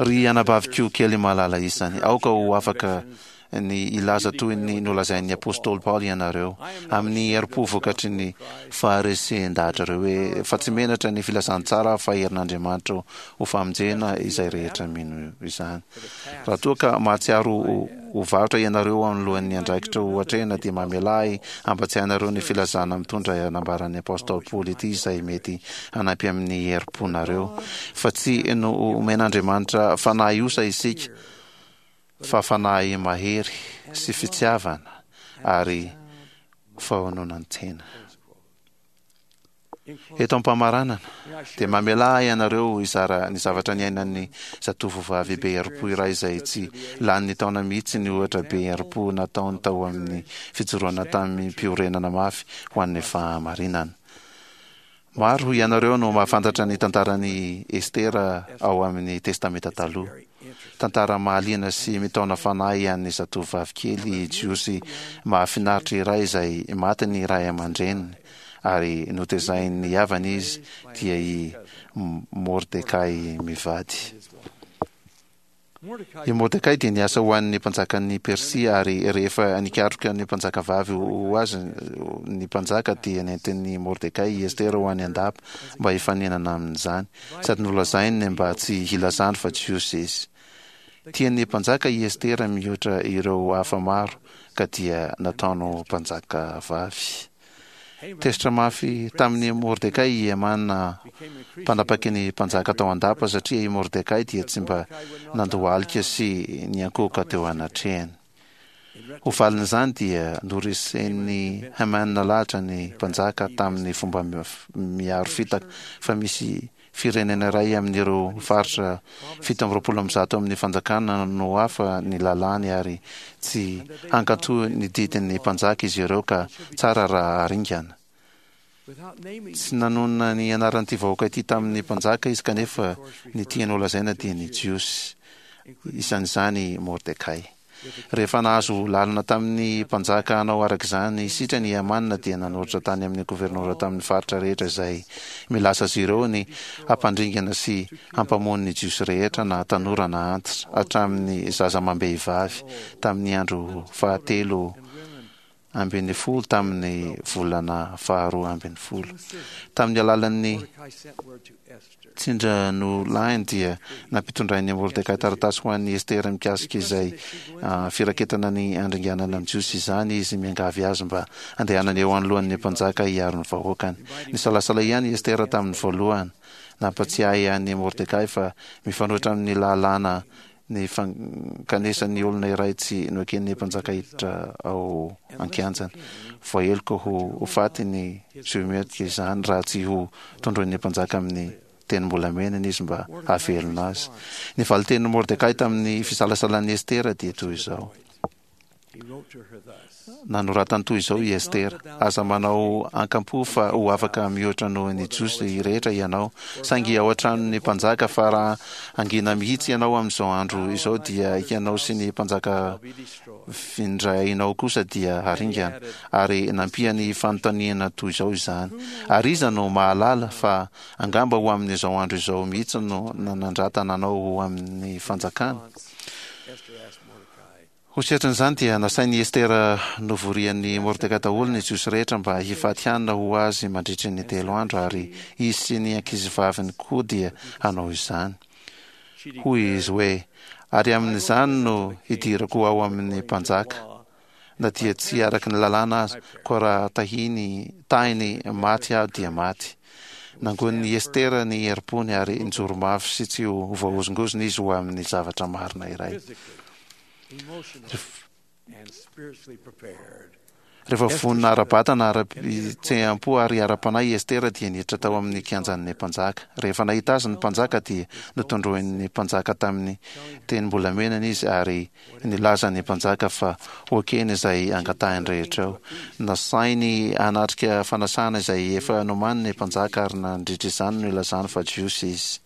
Ry anabaviko kely malala isany, aoka ho afaka ny hilaza toy ny nolazain'ny apostoly Paoly ianareo, amin'ny herim-po vokatry ny faharesen-dahatrareo hoe, Fa tsy menatra ny filazantsara aho fa herin'Andriamanitra ho famonjena izay rehetra mino izany. Raha toa ka mahatsiaro ho varotra ianareo anoloan'ny andraikitra ho atrehina dia mamelà ahy hampatsiahy anareo ny filazana mitondra nambaran'ny Apostoly Paoly ity izay mety hanampy amin'ny herim-ponareo fa tsy nomen'Andriamanitra fanahy osa isika fa fanahy mahery sy fitiavana ary fahononan-tena. Eto am-pamaranana, dia mamelà ahy ianareo hizara ny zavatra niainan'ny zatovovavy be herim-po iray izay tsy lanin'ny taona mihitsy ny ohatra be herim-po nataony tao amin'ny fijoroana tamim-piorenana mafy ho an'ny fahamarinana. Maro ianareo no mahafantatra ny tantaran'i Estera ao amin'ny Testamenta Taloha. Tantara mahaliana sy mitaona fanahy an'ny zatovovavy kely jiosy mahafinaritra iray izay maty ny ray aman-dreniny ary notezain'ny havany izy, dia i Mordekay mivady. I Mordekay dia niasa ho an'ny mpanjakan'i Persia, ary rehefa nikaroka ny mpanjakavavy ho azy ny mpanjaka, dia nentin'i Mordekay i Estera ho any an-dapa mba hifaninana amin'izany, sady nolazainy mba tsy hilazany fa Jiosy izy. Tian'ny mpanjaka i Estera mihoatra ireo hafa maro, ka dia nataony ho mpanjakavavy. Tezitra mafy tamin'i Mordekay i Hamana, mpanapaky ny mpanjaka tao an-dapa, satria i Mordekay dia tsy mba nandohalika sy niankohoka teo anatrehany. Ho valin'izany dia noresen'i Hamana lahatra ny mpanjaka tamin'ny fomba miharo fitaka fa misy Firenena iray amin'ireo faritra 127 amin'ny fanjakana no hafa ny lalàny ary tsy hankatò ny didin'ny mpanjaka izy ireo ka tsara raha haringana. Tsy nanonona ny anaran'ity vahoaka ity tamin'ny mpanjaka izy kanefa ny tiany holazaina dia ny Jiosy, isan'izany i Mordekay. Rehefa nahazo lalana tamin'ny mpanjaka hanao araka izany sitrany i Hamana dia nanoratra tany amin'ny governora tamin'ny faritra rehetra izay milaza azy ireo ny hampandringana sy hampamono ny Jiosy rehetra na tanora na antitra, hatramin'ny zaza amam-behivavy, tamin'ny andro fahatelo 12 tamin'ny volana faharoa 12. Tamin'ny alalan'ny tsindranolahiny dia nampitondrain'i Mordekay taratasy ho an'i Estera mikasika izay firaketana ny handringanana ny Jiosy izany izy, miangavy azy mba handehanany eo anoloan'ny mpanjaka hiaro ny vahoakany. Nisalasala ihany i Estera tamin'ny voalohany. Nampatsiahy an'i Mordekay fa mifanohitra amin'ny lalàna. ny fankanesan'ny olona iray tsy noeken'ny mpanjaka hiditra ao an-kianjany. Voaheloka ho faty ny ziometrika izany raha tsy ho tondroin'ny mpanjaka amin'ny tenim-bolamenany izy mba hahavelona azy. Ny valin-tenin'i Mordekay tamin'ny fisalasalan'i Estera dia toy izao. Nanoratany toy izao i Estera, Aza manao ankampo fa ho afaka mihoatra noho ny Jiosy rehetra ianao, saingy ao an-tranon'ny mpanjaka, fa raha hangina mihitsy ianao amin'izao andro izao, dia ianao sy ny mpanjaka vindrainao kosa dia haringana. Ary nampiany fanontaniana toy izao izany, Ary iza no mahalala fa angamba ho amin'izao andro izao mihitsy no nanandratana anao ho amin'ny fanjakana? Ho setrin'izany dia nasain'i Estera novorian'i Mordekay daholo ny Jiosy rehetra mba hifady hanina ho azy mandritry ny telo andro, ary izy sy ny ankizivaviny koa dia hanao izany. Hoy izy hoe, Ary amin'izany no hidirako ao amin'ny mpanjaka, na dia tsy araka ny lalàna aza, koa raha tahiny tahiny maty aho dia maty. Nangonin'i Estera ny herim-pony ary nijoro mafy sy tsy ho voahozongozona izy ho amin'ny zavatra marina iray. Rehefa vonona ara-batana, ara-pihetseham-po ary ara-panahy i Estera dia niditra tao amin'ny kianjan'ny mpanjaka. Rehefa nahita azy ny mpanjaka dia notondroin'ny mpanjaka tamin'ny tenim-bolamenany izy ary nilaza ny mpanjaka fa ho ekeny izay angatahiny rehetra eo. Nasainy hanatrika fanasana izay efa nomaniny ny mpanjaka ary nandritra izany no nilazany fa Jiosy izy.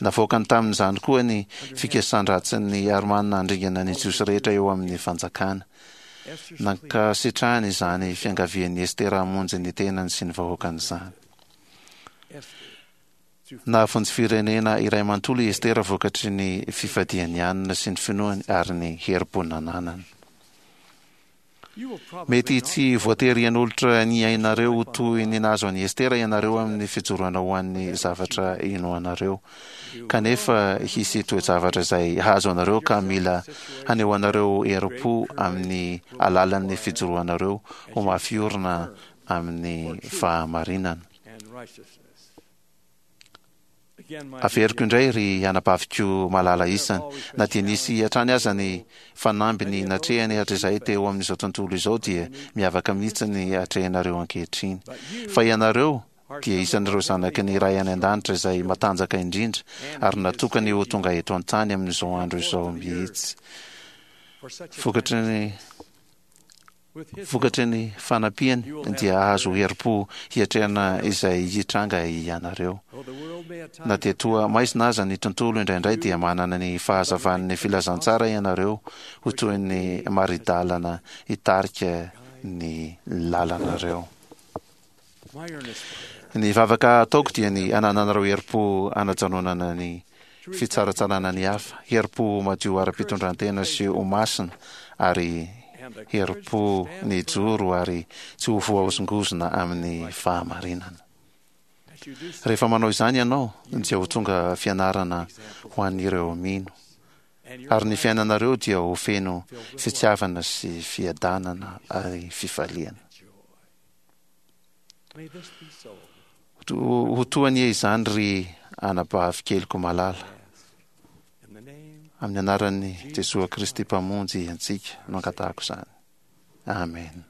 Navoakany tamin'izany koa ny fikasan-dratsin'ny Armana handringana ny Jiosy rehetra eo amin'ny fanjakana. Nankasitrahany izany fiangavian'i Estera hamonjy ny tenany sy ny vahoakany izany. Nahavonjy firenena iray manontolo i Estera vokatry ny fifadiany hanina sy ny finoany ary ny herim-po nananany. Mety tsy voatery hanolotra ny ainareo ho toy ny nahazo an'i Estera ianareo amin'ny fijoroana ho an'ny zavatra inoanareo. Kanefa hisy toe-javatra izay hahazo anareo ka mila hanehoanareo herim-po amin'ny alalan'ny fijoroanareo ho mafy orina amin'ny fahamarinana. Averiko indray ry anabaviko malala isany, na dia nisy hatrany aza ny fanamby natrehany hatrizay teo amin'izao tontolo izao dia miavaka mihitsy ny atrehinareo ankehitriny. Fa ianareo dia isan'ireo zanaky ny Ray any An-danitra izay matanjaka indrindra ary natokany ho tonga eto an-tany amin'izao andro izao mihitsy. Vokatry ny. Vokatry ny fanampiany dia hahazo herim-po hiatrehana izay hitranga ianareo. Na dia toa maizina aza ny tontolo indraindray dia manana ny fahazavan'ny filazantsara ianareo ho toy ny mari-dalana hitarika ny lalanareo. Ny vavaka ataoko dia ny hanananareo herim-po hanajanonana ny fitsaratsarana ny hafa, herim-po madio ara-pitondran-tena sy ho masina, ary herim-po ny hijoro ary tsy ho voahozongozona amin'ny fahamarinana. Rehefa manao izany ianao, dia ho tonga fianarana ho an'ireo mino, ary ny fiainanareo dia ho feno fitiavana sy fiadanana ary fifaliana. Ho toa anie izany ry anabavy keliko malala. Amin'ny anaran'i Jesoa Kristy Mpamonjy antsika no angatahako izany. Amen.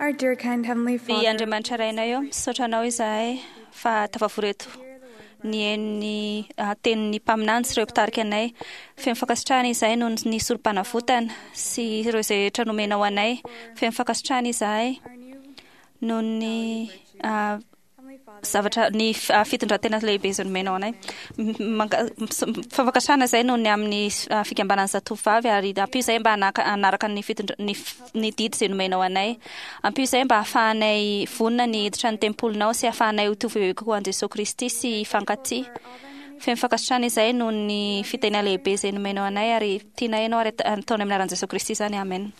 Our dear kind Heavenly Ry Father, Andriamanitra Rainay eo, misaotra anao izahay fa tafavory eto nihaino ny tenin'ny mpaminany sy ireo mpitarika anay. Feno fankasitrahana izahay noho ny sorom-panavotana sy ireo izay rehetra nomenao anay. Feno fankasitrahana izahay noho ny zavatra ny fitondran-tena lehibe izay nomenao anay. Fankasitrahana izahay noho ny amin'ny fikambanan'ny zatovovavy ary ampio izahay mba hanaraka ny fitondra-, ny ny didy izay nomenao anay. Ampio izahay mba hahafahanay vonona ny hiditra ny tempolinao sy hahafahanay ho tovy bebe kokoa an'i Jesoa Kristy sy hifankatia. Feno fankasitrahana izahay noho ny fitahiana lehibe izay nomenao anay ary tianay ianao ary ataonay amin'ny anaran'i Jesoa Kristy izany. Amen.